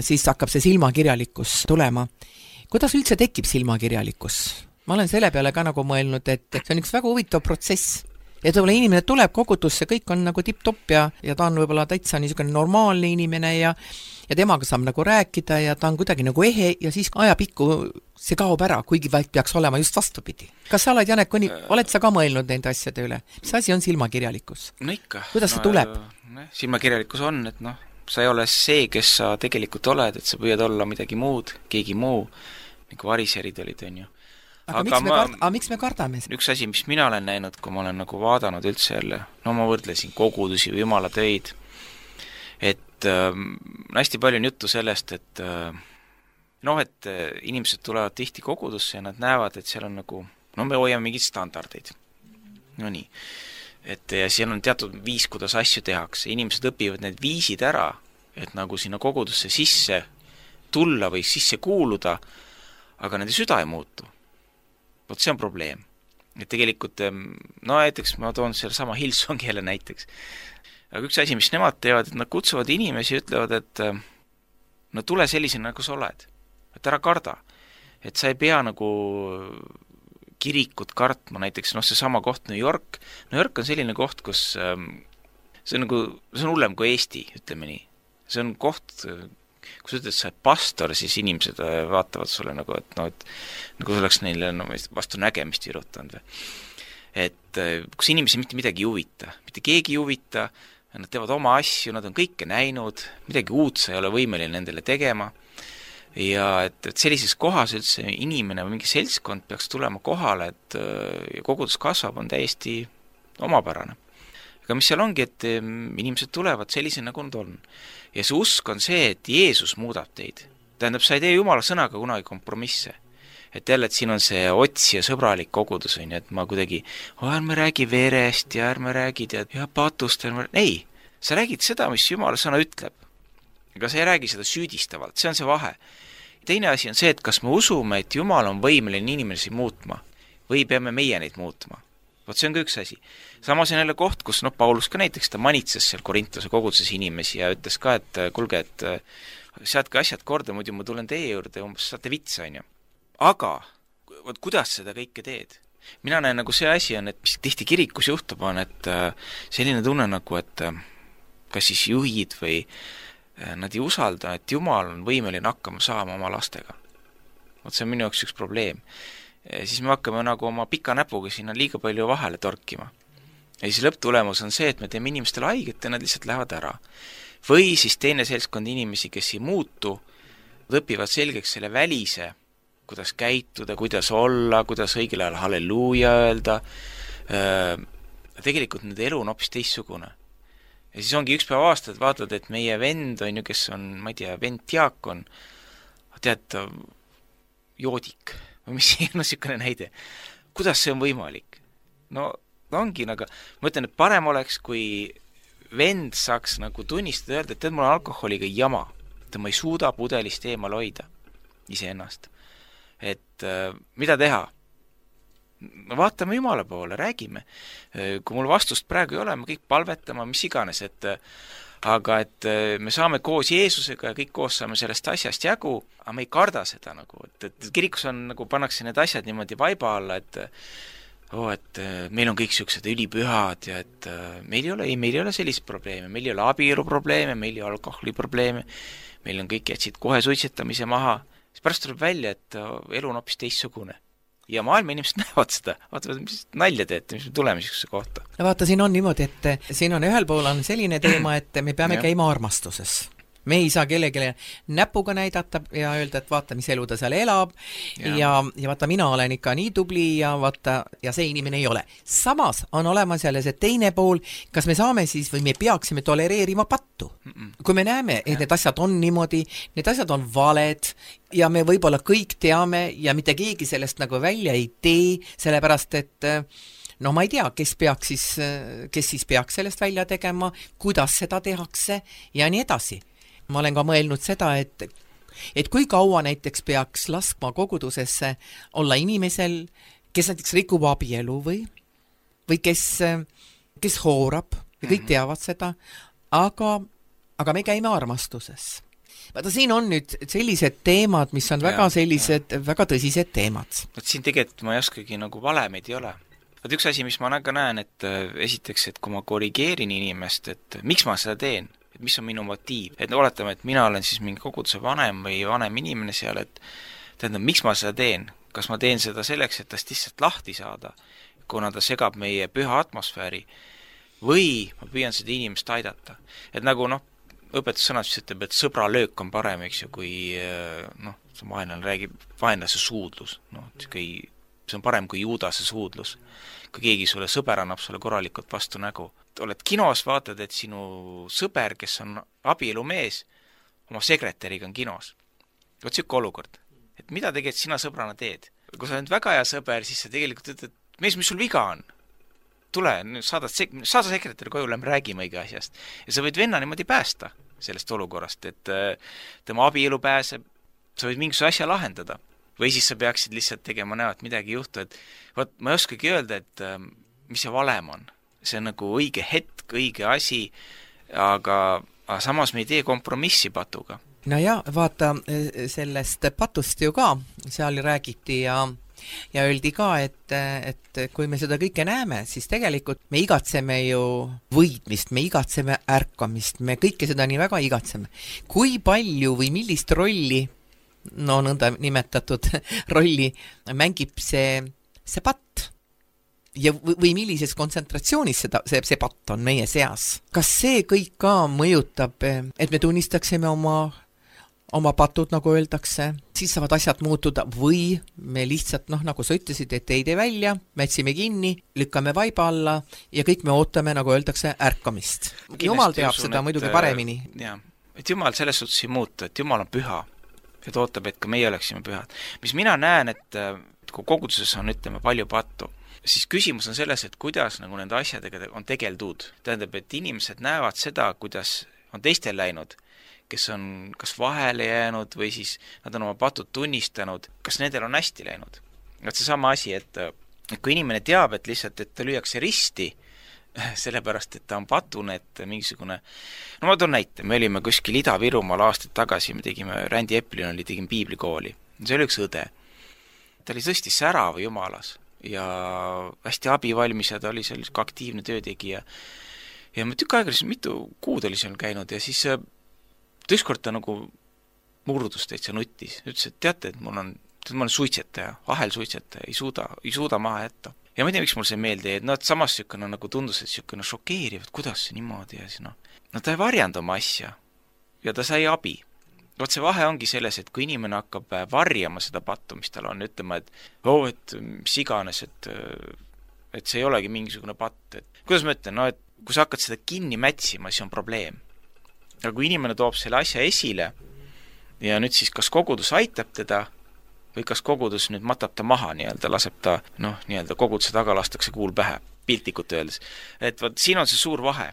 siis hakkab see silmakirjalikkus tulema. Kuidas üldse tekib silmakirjalikkus? Ma olen selle peale ka nagu mõelnud, et see on üks väga huvitav protsess. Ja tõele inimene tuleb kogudusse, kõik on nagu tipp-topp ja, ja ta on võib-olla täitsa niisugune normaalne inimene ja, ja temaga saab nagu rääkida ja ta on kuidagi nagu ehe ja siis ajapikku see kaob ära, kuigi vaid peaks olema just vastupidi. Kas sa oled, Janek, oled sa ka mõelnud nende asjade üle? Mis asi on silmakirjalikkus? No ikka. Kuidas see no, tuleb? No, silmakirjalikkus on, et noh, sa ei ole see, kes sa tegelikult oled, et sa püüad olla midagi muud, keegi muu, nagu variserid olid, on ju. Aga, aga, miks, me ma, kard- aga miks me kardame? Üks asi, mis mina olen näinud, kui ma olen nagu vaadanud üldse jälle, no ma võrdlesin kogudusi või jumala töid, et äh, hästi palju on juttu sellest, et äh, noh, et äh, inimesed tulevad tihti kogudusse ja nad näevad, et seal on nagu, no me hoiame mingid standardeid. No nii. Et ja seal on teatud viis, kuidas asju tehakse. Inimesed õpivad need viisid ära, et nagu sinna kogudusse sisse tulla või sisse kuuluda, aga nende süda ei muutu. Vot see on probleem. Et tegelikult, no näiteks ma toon selle sama Hillsongi jälle näiteks. Aga üks asi, mis nemad teevad, et nad kutsuvad inimesi ja ütlevad, et no tule sellisena, nagu sa oled. Et ära karda. Et sa ei pea nagu kirikut kartma, näiteks noh, see sama koht New York. New York on selline koht, kus ähm, see on nagu, see on hullem kui Eesti, ütleme nii. See on koht, kui sa ütled, sa oled pastor, siis inimesed vaatavad sulle nagu, et no, et nagu oleks neile no, vastu nägemist virutanud või. Et kus inimesi mitte midagi ei huvita, mitte keegi ei huvita, nad teevad oma asju, nad on kõike näinud, midagi uut sa ei ole võimeline nendele tegema ja et, et sellises kohas üldse inimene või mingi seltskond peaks tulema kohale, et kogudus kasvab, on täiesti omapärane. Aga mis seal ongi, et inimesed tulevad sellise, nagu nad on. Ja see usk on see, et Jeesus muudab teid. Tähendab, sa ei tee Jumala sõnaga kunagi kompromisse. Et jälle, et siin on see otsi ja sõbralik kogudus, on, et ma kuidagi, oh, ärme räägi verest ja ärme räägi tead, ja patust, ärme... ei, sa räägid seda, mis Jumala sõna ütleb. Aga sa ei räägi seda süüdistavalt, see on see vahe. Teine asi on see, et kas me usume, et Jumal on võimeline inimesi muutma või peame meie neid muutma. Vot see on ka üks asi. Samas on jälle koht, kus no, Paulus ka näiteks ta manitses seal Korintuse koguduses inimesi ja ütles ka, et kulge, et seadke asjad korda, muidu ma tulen teie juurde, umbes saate vitsa, on ju. Aga võt, kuidas seda kõike teed? Mina näen nagu see asi on, et mis tihti kirikus juhtub on, et selline tunne nagu, et kas siis juhid või nad ei usalda, et Jumal on võimeline hakkama saama oma lastega. Vot see on minu jaoks üks probleem. Siis me hakkame nagu oma pika näpuga sinna liiga palju vahele torkima. Ja siis lõpptulemus on see, et me teeme inimestele haiget ja nad lihtsalt lähevad ära. Või siis teine seltskond inimesi, kes ei muutu, õpivad selgeks selle välise, kuidas käituda, kuidas olla, kuidas õigel ajal halleluuja öelda. Tegelikult nende elu on hoopis teissugune. Ja siis ongi üks päev aastad vaatad, et meie vend on ju, kes on, ma ei tea, vend diakon, tead, joodik või mis no sihukene näide. Kuidas see on võimalik? No ongi nagu, ma ütlen, et parem oleks, kui vend saaks nagu tunnistada öelda, et tead, mul on alkoholiga jama, et ma ei suuda pudelist eemal hoida iseennast. Et äh, mida teha? Me vaatame Jumala poole, räägime. Kui mul vastust praegu ei ole, me kõik palvetama, mis iganes, et aga et me saame koos Jeesusega ja kõik koos saame sellest asjast jagu, aga me ei karda seda nagu, et, et kirikus on nagu pannakse need asjad niimoodi vaiba alla, et oh, et meil on kõik siuksed ülipühad ja et meil ei ole, ei, meil ei ole sellist probleeme, meil ei ole abielu probleeme, meil ei ole alkoholi probleeme, meil on kõik jätsid kohe suitsetamise maha, siis pärast tuleb välja, et elu on hoopis teissugune. Ja maailma inimesed näevad seda, vaatavad, mis nalja teete, mis me tuleme siukse kohta. No vaata, siin on niimoodi, et siin on ühel pool on selline teema, et me peame käima armastuses. Me ei saa kellegile näpuga näidata ja öelda, et vaata, mis elu ta seal elab ja, ja, ja vaata, mina olen ikka nii tubli ja vaata, ja see inimene ei ole. Samas on olemas jälle see teine pool, kas me saame siis või me peaksime tolereerima pattu. Mm-mm. Kui me näeme, et ja. Need asjad on niimoodi, need asjad on valed ja me võib-olla kõik teame ja mitte keegi sellest nagu välja ei tee, sellepärast et no ma ei tea, kes peaks siis, kes siis peaks sellest välja tegema, kuidas seda tehakse ja nii edasi. Ma olen ka mõelnud seda, et, et kui kaua näiteks peaks laskma kogudusesse olla inimesel, kes näiteks rikub abielu või, või kes, kes hoorab ja kõik teavad seda, aga, aga me käime armastuses. Vaata, siin on nüüd sellised teemad, mis on väga sellised, ja. Väga tõsised teemad. Võt siin tegelikult ma ei oskagi nagu valemeid ei ole. Võt üks asi, mis ma ka näen, et esiteks, et kui ma korrigeerin inimest, et miks ma seda teen, et mis on minu motiiv, et oletame, et mina olen siis mingi koguduse vanem või vanem inimene seal, et tähendab, miks ma seda teen? Kas ma teen seda selleks, et tast lihtsalt lahti saada, kuna ta segab meie püha atmosfääri, või ma püüan seda inimest aidata. Et nagu noh, õpetussõnad siis ütleb, et sõbra löök on parem, eks ju, kui noh, see vaenlane räägib vaenlase suudlus, noh, see on parem kui Juudase suudlus. Kui keegi sulle sõber annab sulle korralikult vastu nägu. Oled kinos, vaatad, et sinu sõber, kes on abielumees, oma sekretäriga on kinos. Võt siuke olukord. Et mida tegelikult sina sõbrana teed? Kui sa oled väga hea sõber, siis sa tegelikult ütled, et mees, mis sul viga on? Tule, saada, saada sekretäri koju, lähme räägime õige asjast. Ja sa võid venna niimoodi päästa sellest olukorrast, et tema abielu pääseb, sa võid mingisuguse asja lahendada. Või siis sa peaksid lihtsalt tegema näo, et midagi juhtu, et võt, ma ei oskagi öelda, et mis see valem on. See on nagu õige hetk, õige asi, aga, aga samas me ei tee kompromissi patuga. no ja vaata, sellest patust ju ka seal räägiti ja ja öeldi ka, et, et kui me seda kõike näeme, siis tegelikult me igatseme ju võitmist, me igatseme ärkamist, me kõike seda nii väga igatseme. Kui palju või millist rolli, no nõnda nimetatud rolli, mängib see, see patt? Ja või millises kontsentratsioonis seda, see, see patt on meie seas? Kas see kõik ka mõjutab, et me tunnistaksime oma oma patud, nagu öeldakse, siis saavad asjad muutuda või me lihtsalt, noh, nagu sa ütlesid, et ei tee välja, mätsime kinni, lükkame vaiba alla ja kõik me ootame, nagu öeldakse, ärkamist. Jumal teab usun, seda et, muidugi paremini. Jah, et Jumal selles suhtes ei muutu, et Jumal on püha, et ootab, et ka meie oleksime pühad. Mis mina näen, et kui koguduses on, ütleme, palju pattu, siis küsimus on selles, et kuidas nagu nende asjadega on tegeldud. Tähendab, et inimesed näevad seda, kuidas on teistel läinud, kes on kas vahele jäänud või siis nad on oma patud tunnistanud, kas nendel on hästi läinud. Et see sama asi, et, et kui inimene teab, et lihtsalt, et ta lüüakse risti, sellepärast, et ta on patune, et mingisugune, no ma toon näite, me olime kuskil Ida-Virumaal aastaid tagasi, me tegime, Rändi Eplin oli, tegime piiblikooli, see oli üks õde. Ta oli tõesti särav jumalas ja hästi abivalmis ja ta oli seal aktiivne töötegija. Ja ma tükk aega, mitu kuud oli seal käinud ja siis ükskord ta nagu murdus täitsa nutis. Ütles, et teate, et mul on, ma olen suitsetaja, ahel suitsetaja, ei suuda, ei suuda maha jätta. Ja ma ei tea, miks mul see meelde, et no, et samas sükene nagu tundus, et sükene šokeeriv, et kuidas see niimoodi ja siis no. No ta ei varjanud oma asja ja ta sai abi. Vot see vahe ongi selles, et kui inimene hakkab varjama seda pattu, mis tal on, ütlema, et oh, et mis iganes, et, et see ei olegi mingisugune patt. Et, kuidas ma ütlen, no, et kui sa hakkad seda kinni mätsima, siis on probleem. Aga kui inimene toob selle asja esile ja nüüd siis kas kogudus aitab teda või kas kogudus nüüd matab ta maha nii-öelda, laseb ta, noh, nii-öelda koguduse taga lastakse kuul pähe, piltlikult öeldes. Et vaat, siin on see suur vahe.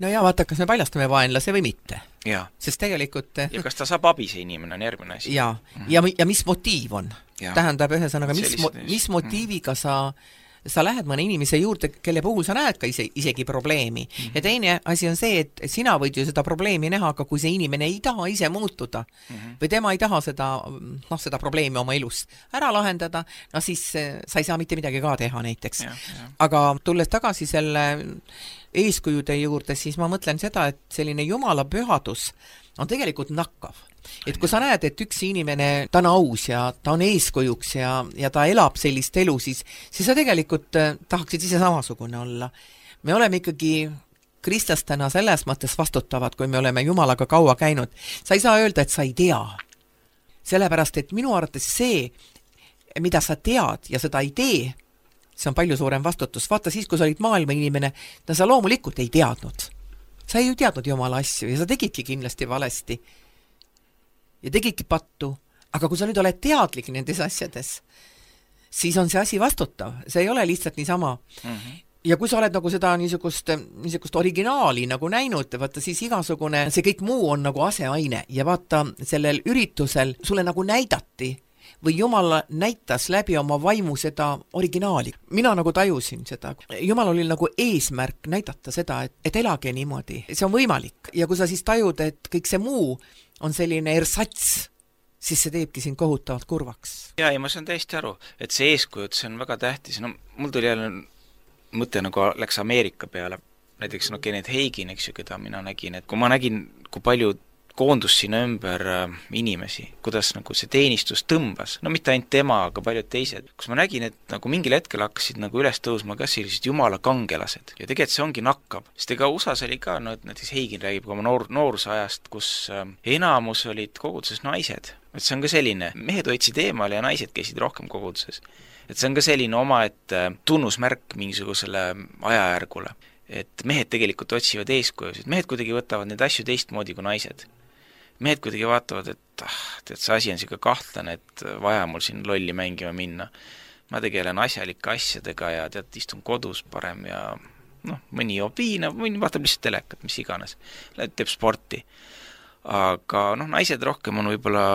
No ja vaata, kas me paljastame vaenlase või mitte. Ja. Sest tegelikult... Ja kas ta saab abi, see inimene on järgmine asi. Ja, mm-hmm. ja, ja mis motiiv on? Ja. Tähendab ühesõnaga, mis, mo- mis motiiviga sa... sa lähed mõne inimese juurde, kelle puhul sa näed ka ise, isegi probleemi. Mm-hmm. Ja teine asi on see, et sina võid ju seda probleemi näha, aga kui see inimene ei taha ise muutuda mm-hmm. või tema ei taha seda, noh, seda probleemi oma elust ära lahendada, no siis sa ei saa mitte midagi ka teha näiteks. Ja, ja. Aga tulles tagasi selle eeskujude juurde, siis ma mõtlen seda, et selline Jumala pühadus on tegelikult nakkav. Et kui sa näed, et üks inimene, ta on aus ja ta on eeskujuks ja, ja ta elab sellist elu, siis, siis sa tegelikult tahaksid ise samasugune olla. Me oleme ikkagi kristlastena selles mõttes vastutavad, kui me oleme Jumalaga kaua käinud. Sa ei saa öelda, et sa ei tea. Sellepärast, et minu arvates see, mida sa tead ja seda ei tee, see on palju suurem vastutus. Vaata siis, kui sa olid maailma inimene, no sa loomulikult ei teadnud. Sa ei ju teadnud Jumala asju ja sa tegidki kindlasti valesti. Ja tegidki pattu, aga kui sa nüüd oled teadlik nendes asjades, siis on see asi vastutav. See ei ole lihtsalt niisama. Mm-hmm. Ja kui sa oled nagu seda niisugust, niisugust originaali nagu näinud, vaata siis igasugune, see kõik muu on nagu aseaine ja vaata sellel üritusel sulle nagu näidati või Jumal näitas läbi oma vaimu seda originaali. Mina nagu tajusin seda. Jumal oli nagu eesmärk näidata seda, et, et elage niimoodi. See on võimalik. Ja kui sa siis tajud, et kõik see muu on selline ersats, siis see teebki siin kohutavalt kurvaks. Ja, ja ma saan täiesti aru, et see eeskujud, see on väga tähtis. No, mul tuli jälle mõte nagu läks Ameerika peale. Näiteks no Kenneth Hagin, eks ju, keda mina nägin, et kui ma nägin, kui palju koondus sinna ümber äh, inimesi, kuidas nagu see teenistus tõmbas, no mitte ainult tema, aga paljud teised, kus ma nägin, et nagu mingil hetkel hakkasid nagu üles tõusma ka sellised Jumala kangelased ja tegelikult see ongi nakkav, sest ega U S A-s oli ka, no et näiteks Hagin räägib ka oma noor, noorusajast, kus äh, enamus olid koguduses naised, et see on ka selline, mehed hoidsid eemale ja naised käisid rohkem koguduses, et see on ka selline oma, et äh, tunnusmärk mingisugusele ajajärgule, et mehed tegelikult otsivad eeskujusid, mehed kuidagi võtavad need asju teistmoodi kui naised. Mehed kuidagi vaatavad, et ah, tead, see asi on siuke kahtlane, et vaja mul siin lolli mängima minna. Ma tegelen asjalike asjadega ja tead, istun kodus parem ja noh, mõni joob viina, mõni vaatab lihtsalt telekat, mis iganes. Teeb sporti. Aga noh, naised rohkem on võib-olla,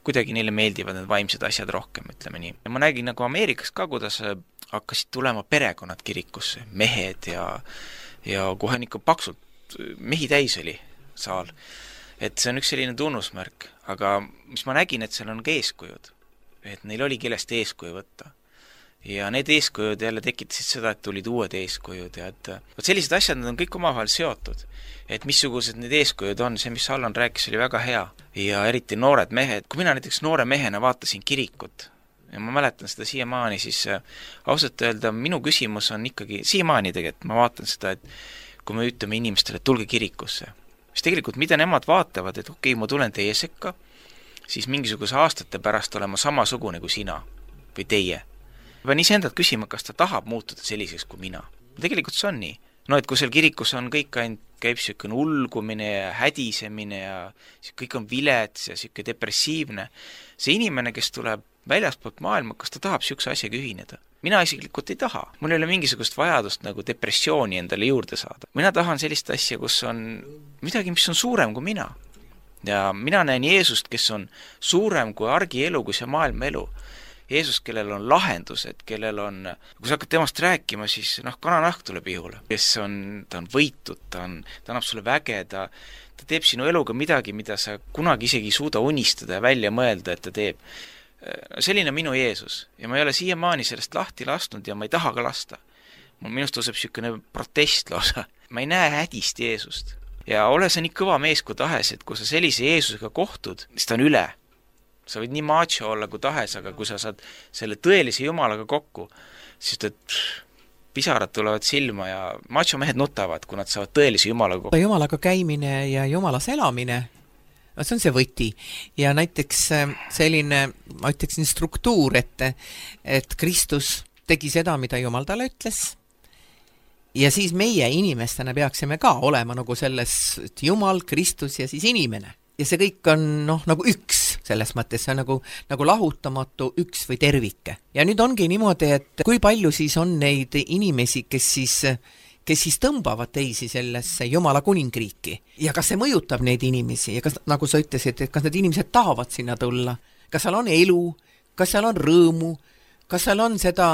kuidagi neile meeldivad need vaimsed asjad rohkem, ütleme nii. Ja ma nägin nagu Ameerikas ka, kuidas hakkasid tulema perekonnad kirikusse, mehed ja, ja kohe ikka paksult mehi täis oli saal. et see on üks selline tunnusmärk, aga mis ma nägin, et seal on ka eeskujud, et neil oli kellest eeskuju võtta. Ja need eeskujud jälle tekitasid seda, et tulid uued eeskujud ja et võt sellised asjad, need on kõik omavahel seotud. Et missugused need eeskujud on, see, mis Allan rääkis, oli väga hea. Ja eriti noored mehed, kui mina näiteks noore mehena vaatasin kirikut, ja ma mäletan seda siiamaani, siis ausalt öelda, minu küsimus on ikkagi, siiamaani tegelikult, ma vaatan seda, et kui me ütleme inimestele, et tulge kirikusse, siis tegelikult mida nemad vaatavad, et okei, ma tulen teie sekka, siis mingisuguse aastate pärast olema samasugune kui sina või teie. Ma pean iseendalt küsima, kas ta tahab muutuda selliseks kui mina. Tegelikult see on nii. No, et kui seal kirikus on kõik ainult käib siukene ulgumine ja hädisemine ja kõik on vilets ja siuke depressiivne, see inimene, kes tuleb väljaspoolt maailma, kas ta tahab siukse asjaga ühineda? Mina isiklikult ei taha. Mul ei ole mingisugust vajadust nagu depressiooni endale juurde saada. Mina tahan sellist asja, kus on midagi, mis on suurem kui mina. Ja mina näen Jeesust, kes on suurem kui argielu, kui see maailma elu. Jeesus, kellel on lahendused, kellel on, kui sa hakkad temast rääkima, siis noh, kananahk tuleb ihule, kes on, ta on võitud, ta, on, ta annab sulle väge, ta, ta teeb sinu eluga midagi, mida sa kunagi isegi ei suuda unistada ja välja mõelda, et ta teeb. Selline minu Jeesus ja ma ei ole siiamaani sellest lahti lastnud ja ma ei taha ka lasta. Mul minust tõuseb siukene protest lausa. Ma ei näe hädist Jeesust. Ja ole sa nii kõva mees kui tahes, et kui sa sellise Jeesusega kohtud, siis ta on üle. Sa võid nii macho olla kui tahes, aga kui sa saad selle tõelise Jumalaga kokku, siis et pisarad tulevad silma ja macho mehed nutavad, kui nad saavad tõelise Jumalaga kokku. Jumalaga käimine ja Jumalas elamine, see on see võti. Ja näiteks selline, ma ütleksin, struktuur, et, et Kristus tegi seda, mida Jumal talle ütles. Ja siis meie inimestena peaksime ka olema nagu selles, et Jumal, Kristus ja siis inimene. Ja see kõik on noh, nagu üks selles mõttes, see on nagu, nagu lahutamatu üks või tervike. Ja nüüd ongi niimoodi, et kui palju siis on neid inimesi, kes siis, kes siis tõmbavad teisi sellesse Jumala kuningriiki. Ja kas see mõjutab neid inimesi ja kas, nagu sa ütlesid, et kas need inimesed tahavad sinna tulla, kas seal on elu, kas seal on rõõmu, kas seal on seda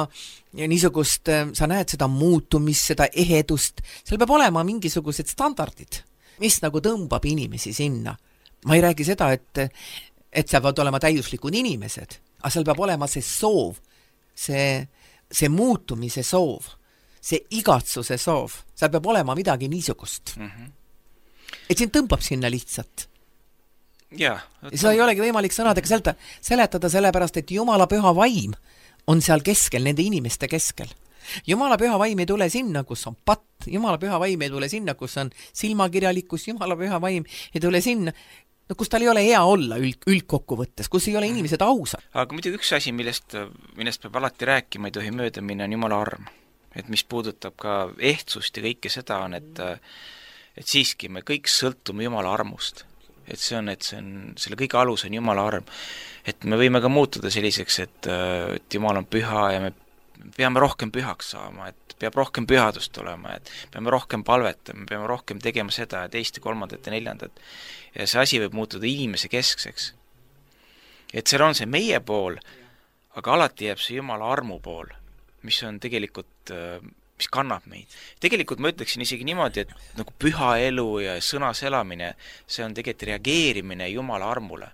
niisugust, sa näed seda muutumist, seda ehedust, seal peab olema mingisugused standardid, mis nagu tõmbab inimesi sinna. Ma ei räägi seda, et, et seal peavad olema täiuslikud inimesed, aga seal peab olema see soov, see, see muutumise soov, see igatsuse soov, seal peab olema midagi niisugust. Mm-hmm. Et sind tõmbab sinna lihtsalt. Ja, ja seda ei olegi võimalik sõnadega seleta, seletada sellepärast, et Jumala püha vaim on seal keskel, nende inimeste keskel. Jumala püha vaim ei tule sinna, kus on patt, Jumala püha vaim ei tule sinna, kus on silmakirjalikkus, Jumala püha vaim ei tule sinna, no kus tal ei ole hea olla üld, üldkokkuvõttes, kus ei ole inimesed ausad. Aga muidugi üks asi, millest, millest peab alati rääkima, ei tohi mööda minna, on Jumala arm. Et mis puudutab ka ehtsust ja kõike seda on, et, et siiski me kõik sõltume Jumala armust. Et see on, et see on, selle kõige alus on Jumala arm. Et me võime ka muutuda selliseks, et, et Jumal on püha ja me peame rohkem pühaks saama, et peab rohkem pühadust olema, et peame rohkem palvetama, peame rohkem tegema seda ja teist ja kolmandat ja neljandat. Ja see asi võib muutuda inimese keskseks. Et seal on see meie pool, aga alati jääb see Jumala armu pool, mis on tegelikult, mis kannab meid. Tegelikult ma ütleksin isegi niimoodi, et nagu püha elu ja sõnas elamine, see on tegelikult reageerimine Jumala armule.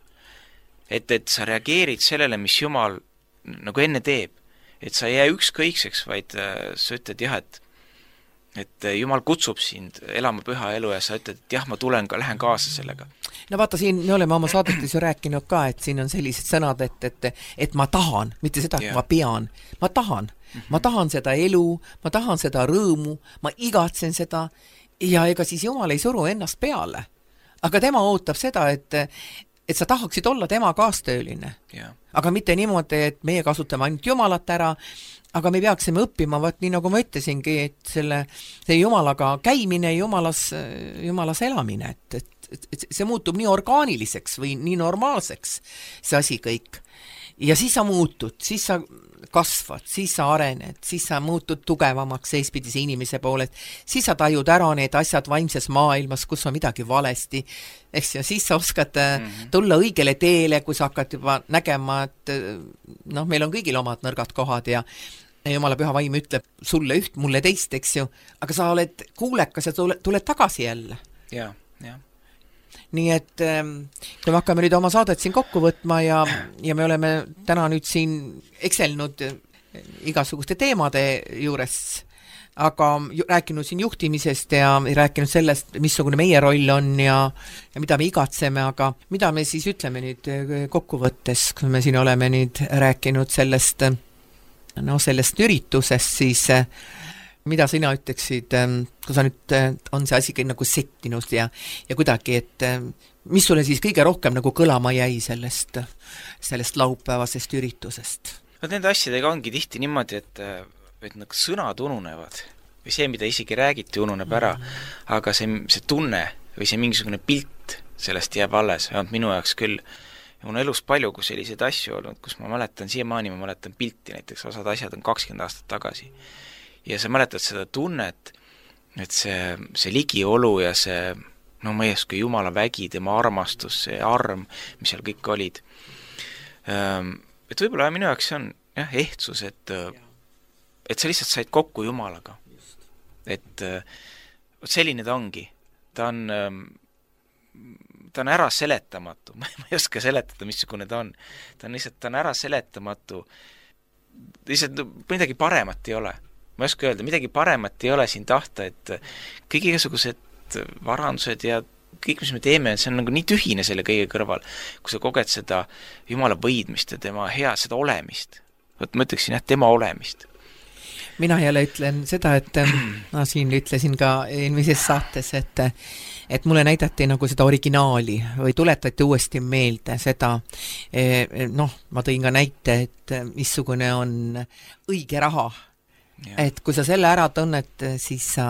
Et, et sa reageerid sellele, mis Jumal nagu enne teeb. Et sa ei jää ükskõikseks, vaid sa ütled jah, et, et Jumal kutsub sind elama püha elu ja sa ütled, et jah, ma tulen ka, lähen kaasa sellega. No vaata, siin me oleme oma saadetes ju rääkinud ka, et siin on sellised sõnad, et, et, et ma tahan, mitte seda, et yeah. ma pean, ma tahan. Mm-hmm. Ma tahan seda elu, ma tahan seda rõõmu, ma igatsen seda ja ega siis Jumal ei suru ennast peale. Aga tema ootab seda, et et sa tahaksid olla tema kaastööline. Yeah. Aga mitte niimoodi, et meie kasutame ainult Jumalat ära, aga me peaksime õppima, vaat nii nagu ma ütlesingi, et selle, see Jumalaga käimine, Jumalas, Jumalas elamine, et, et, et see muutub nii orgaaniliseks või nii normaalseks, see asi kõik. Ja siis sa muutud, siis sa kasvad, siis sa arened, siis sa muutud tugevamaks seispidise inimese poolest, siis sa tajud ära need asjad vaimses maailmas, kus on midagi valesti, eks ja siis sa oskad mm-hmm. tulla õigele teele, kui sa hakkad juba nägema, et noh, meil on kõigil omad nõrgad kohad ja Jumala püha vaim ütleb sulle üht, mulle teist, eks ju, aga sa oled kuulekas ja tule, tuled tagasi jälle. Jah, jah. nii et kui me hakkame nüüd oma saadet siin kokku võtma ja, ja me oleme täna nüüd siin ekselnud igasuguste teemade juures, aga rääkinud siin juhtimisest ja rääkinud sellest, missugune meie roll on ja, ja mida me igatseme, aga mida me siis ütleme nüüd kokkuvõttes, kui me siin oleme nüüd rääkinud sellest, no sellest üritusest, siis mida sina ütleksid, kui sa nüüd on see asi nagu settinud ja, ja kuidagi, et mis sulle siis kõige rohkem nagu kõlama jäi sellest, sellest laupäevasest üritusest? No nende asjadega ongi tihti niimoodi, et, et nagu sõnad ununevad või see, mida isegi räägiti, ununeb ära, aga see, see tunne või see mingisugune pilt sellest jääb alles, vähemalt minu jaoks küll. Ja mul on elus palju kui selliseid asju olnud, kus ma mäletan, siiamaani ma mäletan pilti, näiteks osad asjad on kakskümmend aastat tagasi. Ja sa mäletad seda tunnet, et see, see ligiolu ja see, no ma ei oska, Jumala vägi, tema armastus, see arm, mis seal kõik olid. Et võib-olla minu jaoks on jah, ehtsus, et, et sa lihtsalt said kokku Jumalaga. Et selline ta ongi. Ta on, ta on ära seletamatu. Ma ei oska seletada, missugune ta on. Ta on lihtsalt, ta on ära seletamatu. Lihtsalt midagi paremat ei ole. Ma ei oska öelda, midagi paremat ei ole siin tahta, et kõik igasugused varandused ja kõik, mis me teeme, see on nagu nii tühine selle kõige kõrval, kui sa koged seda Jumala võidmist ja tema hea, seda olemist. Võt, ma ütleksin jah, tema olemist. Mina jälle ütlen seda, et ma siin ütlesin ka eelmises saates, et, et mulle näidati nagu seda originaali või tuletati uuesti meelde seda, noh, ma tõin ka näite, et missugune on õige raha. Ja. Et kui sa selle ära tunnet, siis sa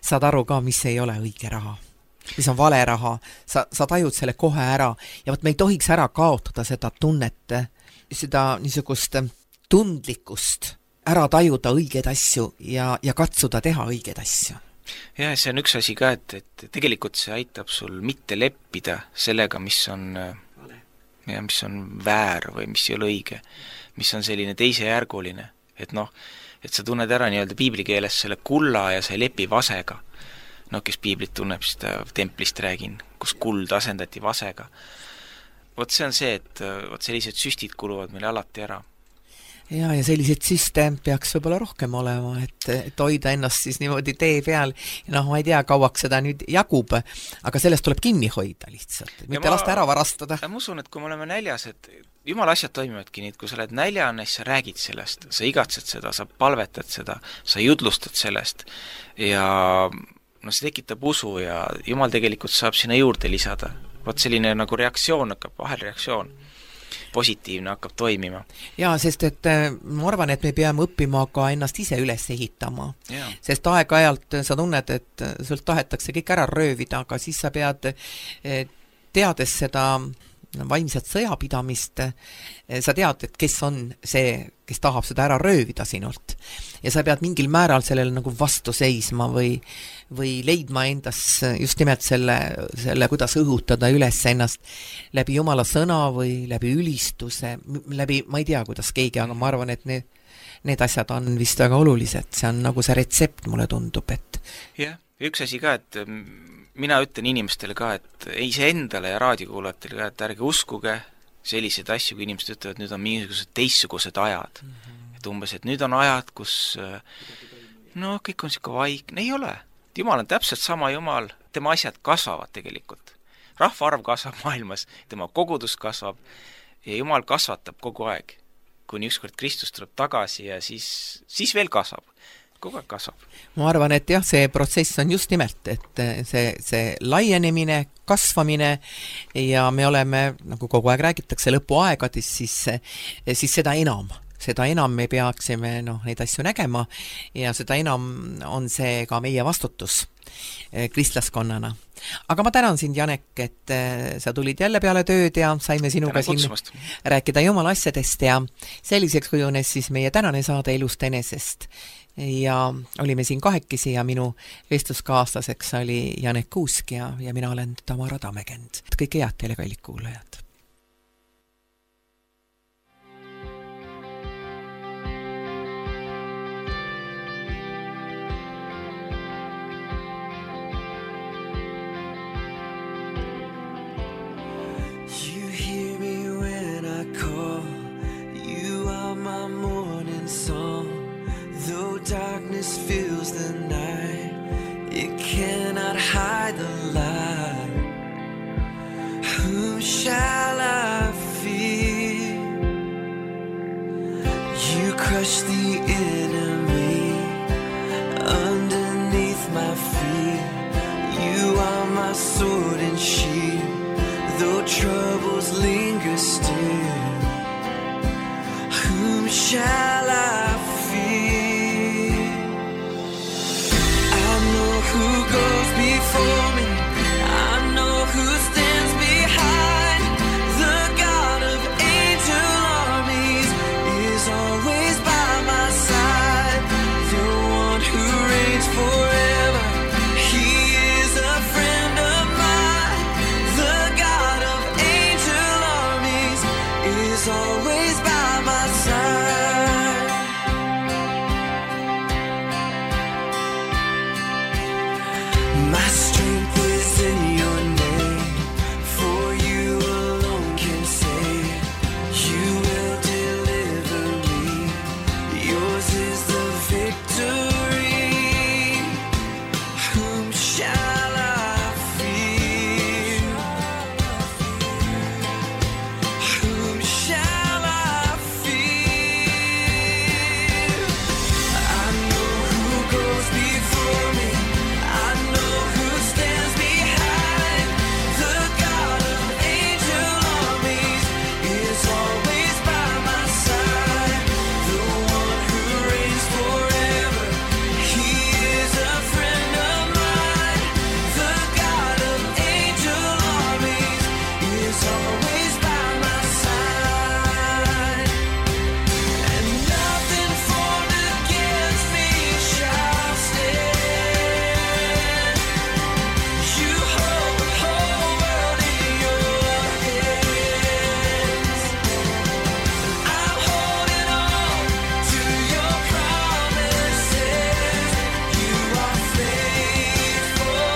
saad aru ka, mis ei ole õige raha, mis on vale raha, sa, sa tajud selle kohe ära ja võt me ei tohiks ära kaotada seda tunnet, seda niisugust tundlikkust, ära tajuda õigeid asju ja, ja katsuda teha õigeid asju. Ja see on üks asi ka, et, et tegelikult see aitab sul mitte leppida sellega, mis on, ja, mis on väär või mis ei ole õige, mis on selline teisejärguline, et noh, et sa tunned ära nii-öelda piiblikeeles selle kulla ja sa ei lepi vasega. No kes piiblit tunneb, siis ta templist räägin, kus kuld asendati vasega. Vot see on see, et vot sellised süstid kuluvad meile alati ära. Ja, ja sellised süste peaks võib-olla rohkem olema, et, et hoida ennast siis niimoodi tee peal. Ja noh, ma ei tea, kauaks seda nüüd jagub, aga sellest tuleb kinni hoida lihtsalt, mitte ma, lasta ära varastada. Ma usun, et kui me oleme näljas, et Jumala asjad toimivadki nii, et kui sa oled näljane, siis sa räägid sellest, sa igatsed seda, sa palvetad seda, sa judlustad sellest ja no see tekitab usu ja Jumal tegelikult saab sinna juurde lisada. Vot selline nagu reaktsioon hakkab, vahelreaktsioon, positiivne hakkab toimima. Jaa, sest et ma arvan, et me peame õppima ka ennast ise üles ehitama. Ja. Sest aeg-ajalt sa tunned, et sult tahetakse kõik ära röövida, aga siis sa pead teades seda vaimset sõjapidamist, sa tead, et kes on see, kes tahab seda ära röövida sinult. Ja sa pead mingil määral sellele nagu vastu seisma või, või leidma endas just nimelt selle, selle, kuidas õhutada üles ennast läbi Jumala sõna või läbi ülistuse, läbi, ma ei tea, kuidas keegi, aga ma arvan, et need, need asjad on vist väga olulised. See on nagu see retsept, mulle tundub, et jah, üks asi ka, et mina ütlen inimestele ka, et iseendale ja raadiokuulajatele ka, et ärge uskuge selliseid asju, kui inimesed ütlevad, et nüüd on mingisugused teistsugused ajad. Mm-hmm. Et umbes, et nüüd on ajad, kus no kõik on siuke vaik. Ei ole. Jumal on täpselt sama Jumal. Tema asjad kasvavad tegelikult. Rahvaarv kasvab maailmas, tema kogudus kasvab ja Jumal kasvatab kogu aeg. Kuni ükskord Kristus tuleb tagasi ja siis, siis veel kasvab. Kogu aeg kasvab. Ma arvan, et jah, see protsess on just nimelt, et see, see laienemine, kasvamine ja me oleme, nagu kogu aeg räägitakse, lõpuaegades, siis, siis seda enam, seda enam me peaksime noh, neid asju nägema ja seda enam on see ka meie vastutus kristlaskonnana. Aga ma tänan sind, Janek, et sa tulid jälle peale tööd ja saime sinuga siin rääkida Jumala asjadest ja selliseks kujunes siis meie tänane saade Elust enesest. Ja olime siin kahekesi ja minu vestluskaaslaseks oli Janek Kuusk ja, ja mina olen Tamara Tamekend. Kõike head teile, kallid kuulajad! darkness fills the night, it cannot hide the light. Whom shall I fear? You crush the enemy underneath my feet. You are my sword and shield, though troubles linger still. Whom shall I fear? I know who goes before me, I know who stands behind. The God of angel armies is always by my side. The one who reigns forever, he is a friend of mine. The God of angel armies is always by my side. My strength is in your name, for you alone can save. You will deliver me, yours is the victory. Whom shall I fear? Whom shall I fear? I know who goes before me, I know who stands behind. The God of angel armies is always by my side. The one who reigns forever, he is a friend of mine. The God of angel armies is always by my side. And nothing formed against me shall stand. You hold the whole world in your hands. I'm holding on to your promises. You are faithful,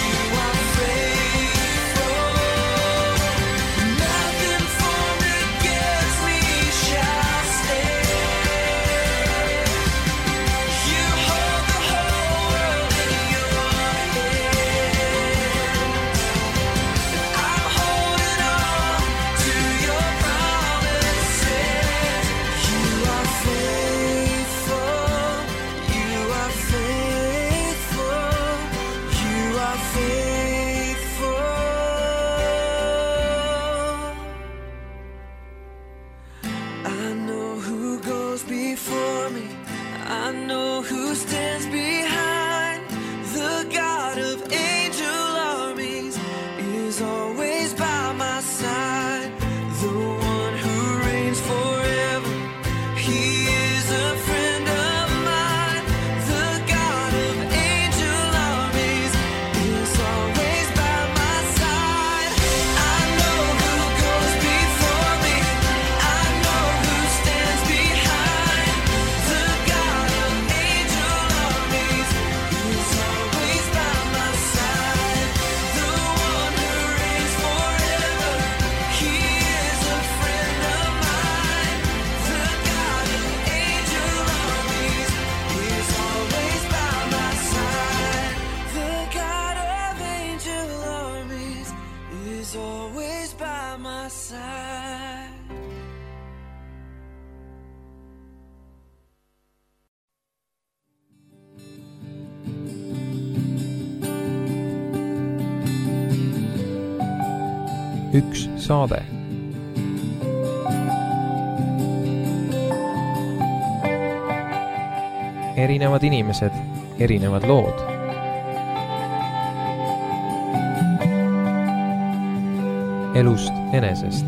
you are faithful. Nothing formed against me shall stand. You hold the whole world in your hands. I'm holding on to your promises. You are faithful, you are faithful, you are faithful. I know who goes before me, I know who stands behind. The God of angel armies is always by my side. The one who reigns forever, he is a friend of mine. The God of angel armies is always by my side. I know who goes before me, I know who stands behind. The God of angel armies is always by my side. The one who reigns forever, he is a friend of mine. The God of angel armies is always by my side. The God of angel armies is always by my side. üks saade. Erinevad inimesed, erinevad lood. Elust enesest.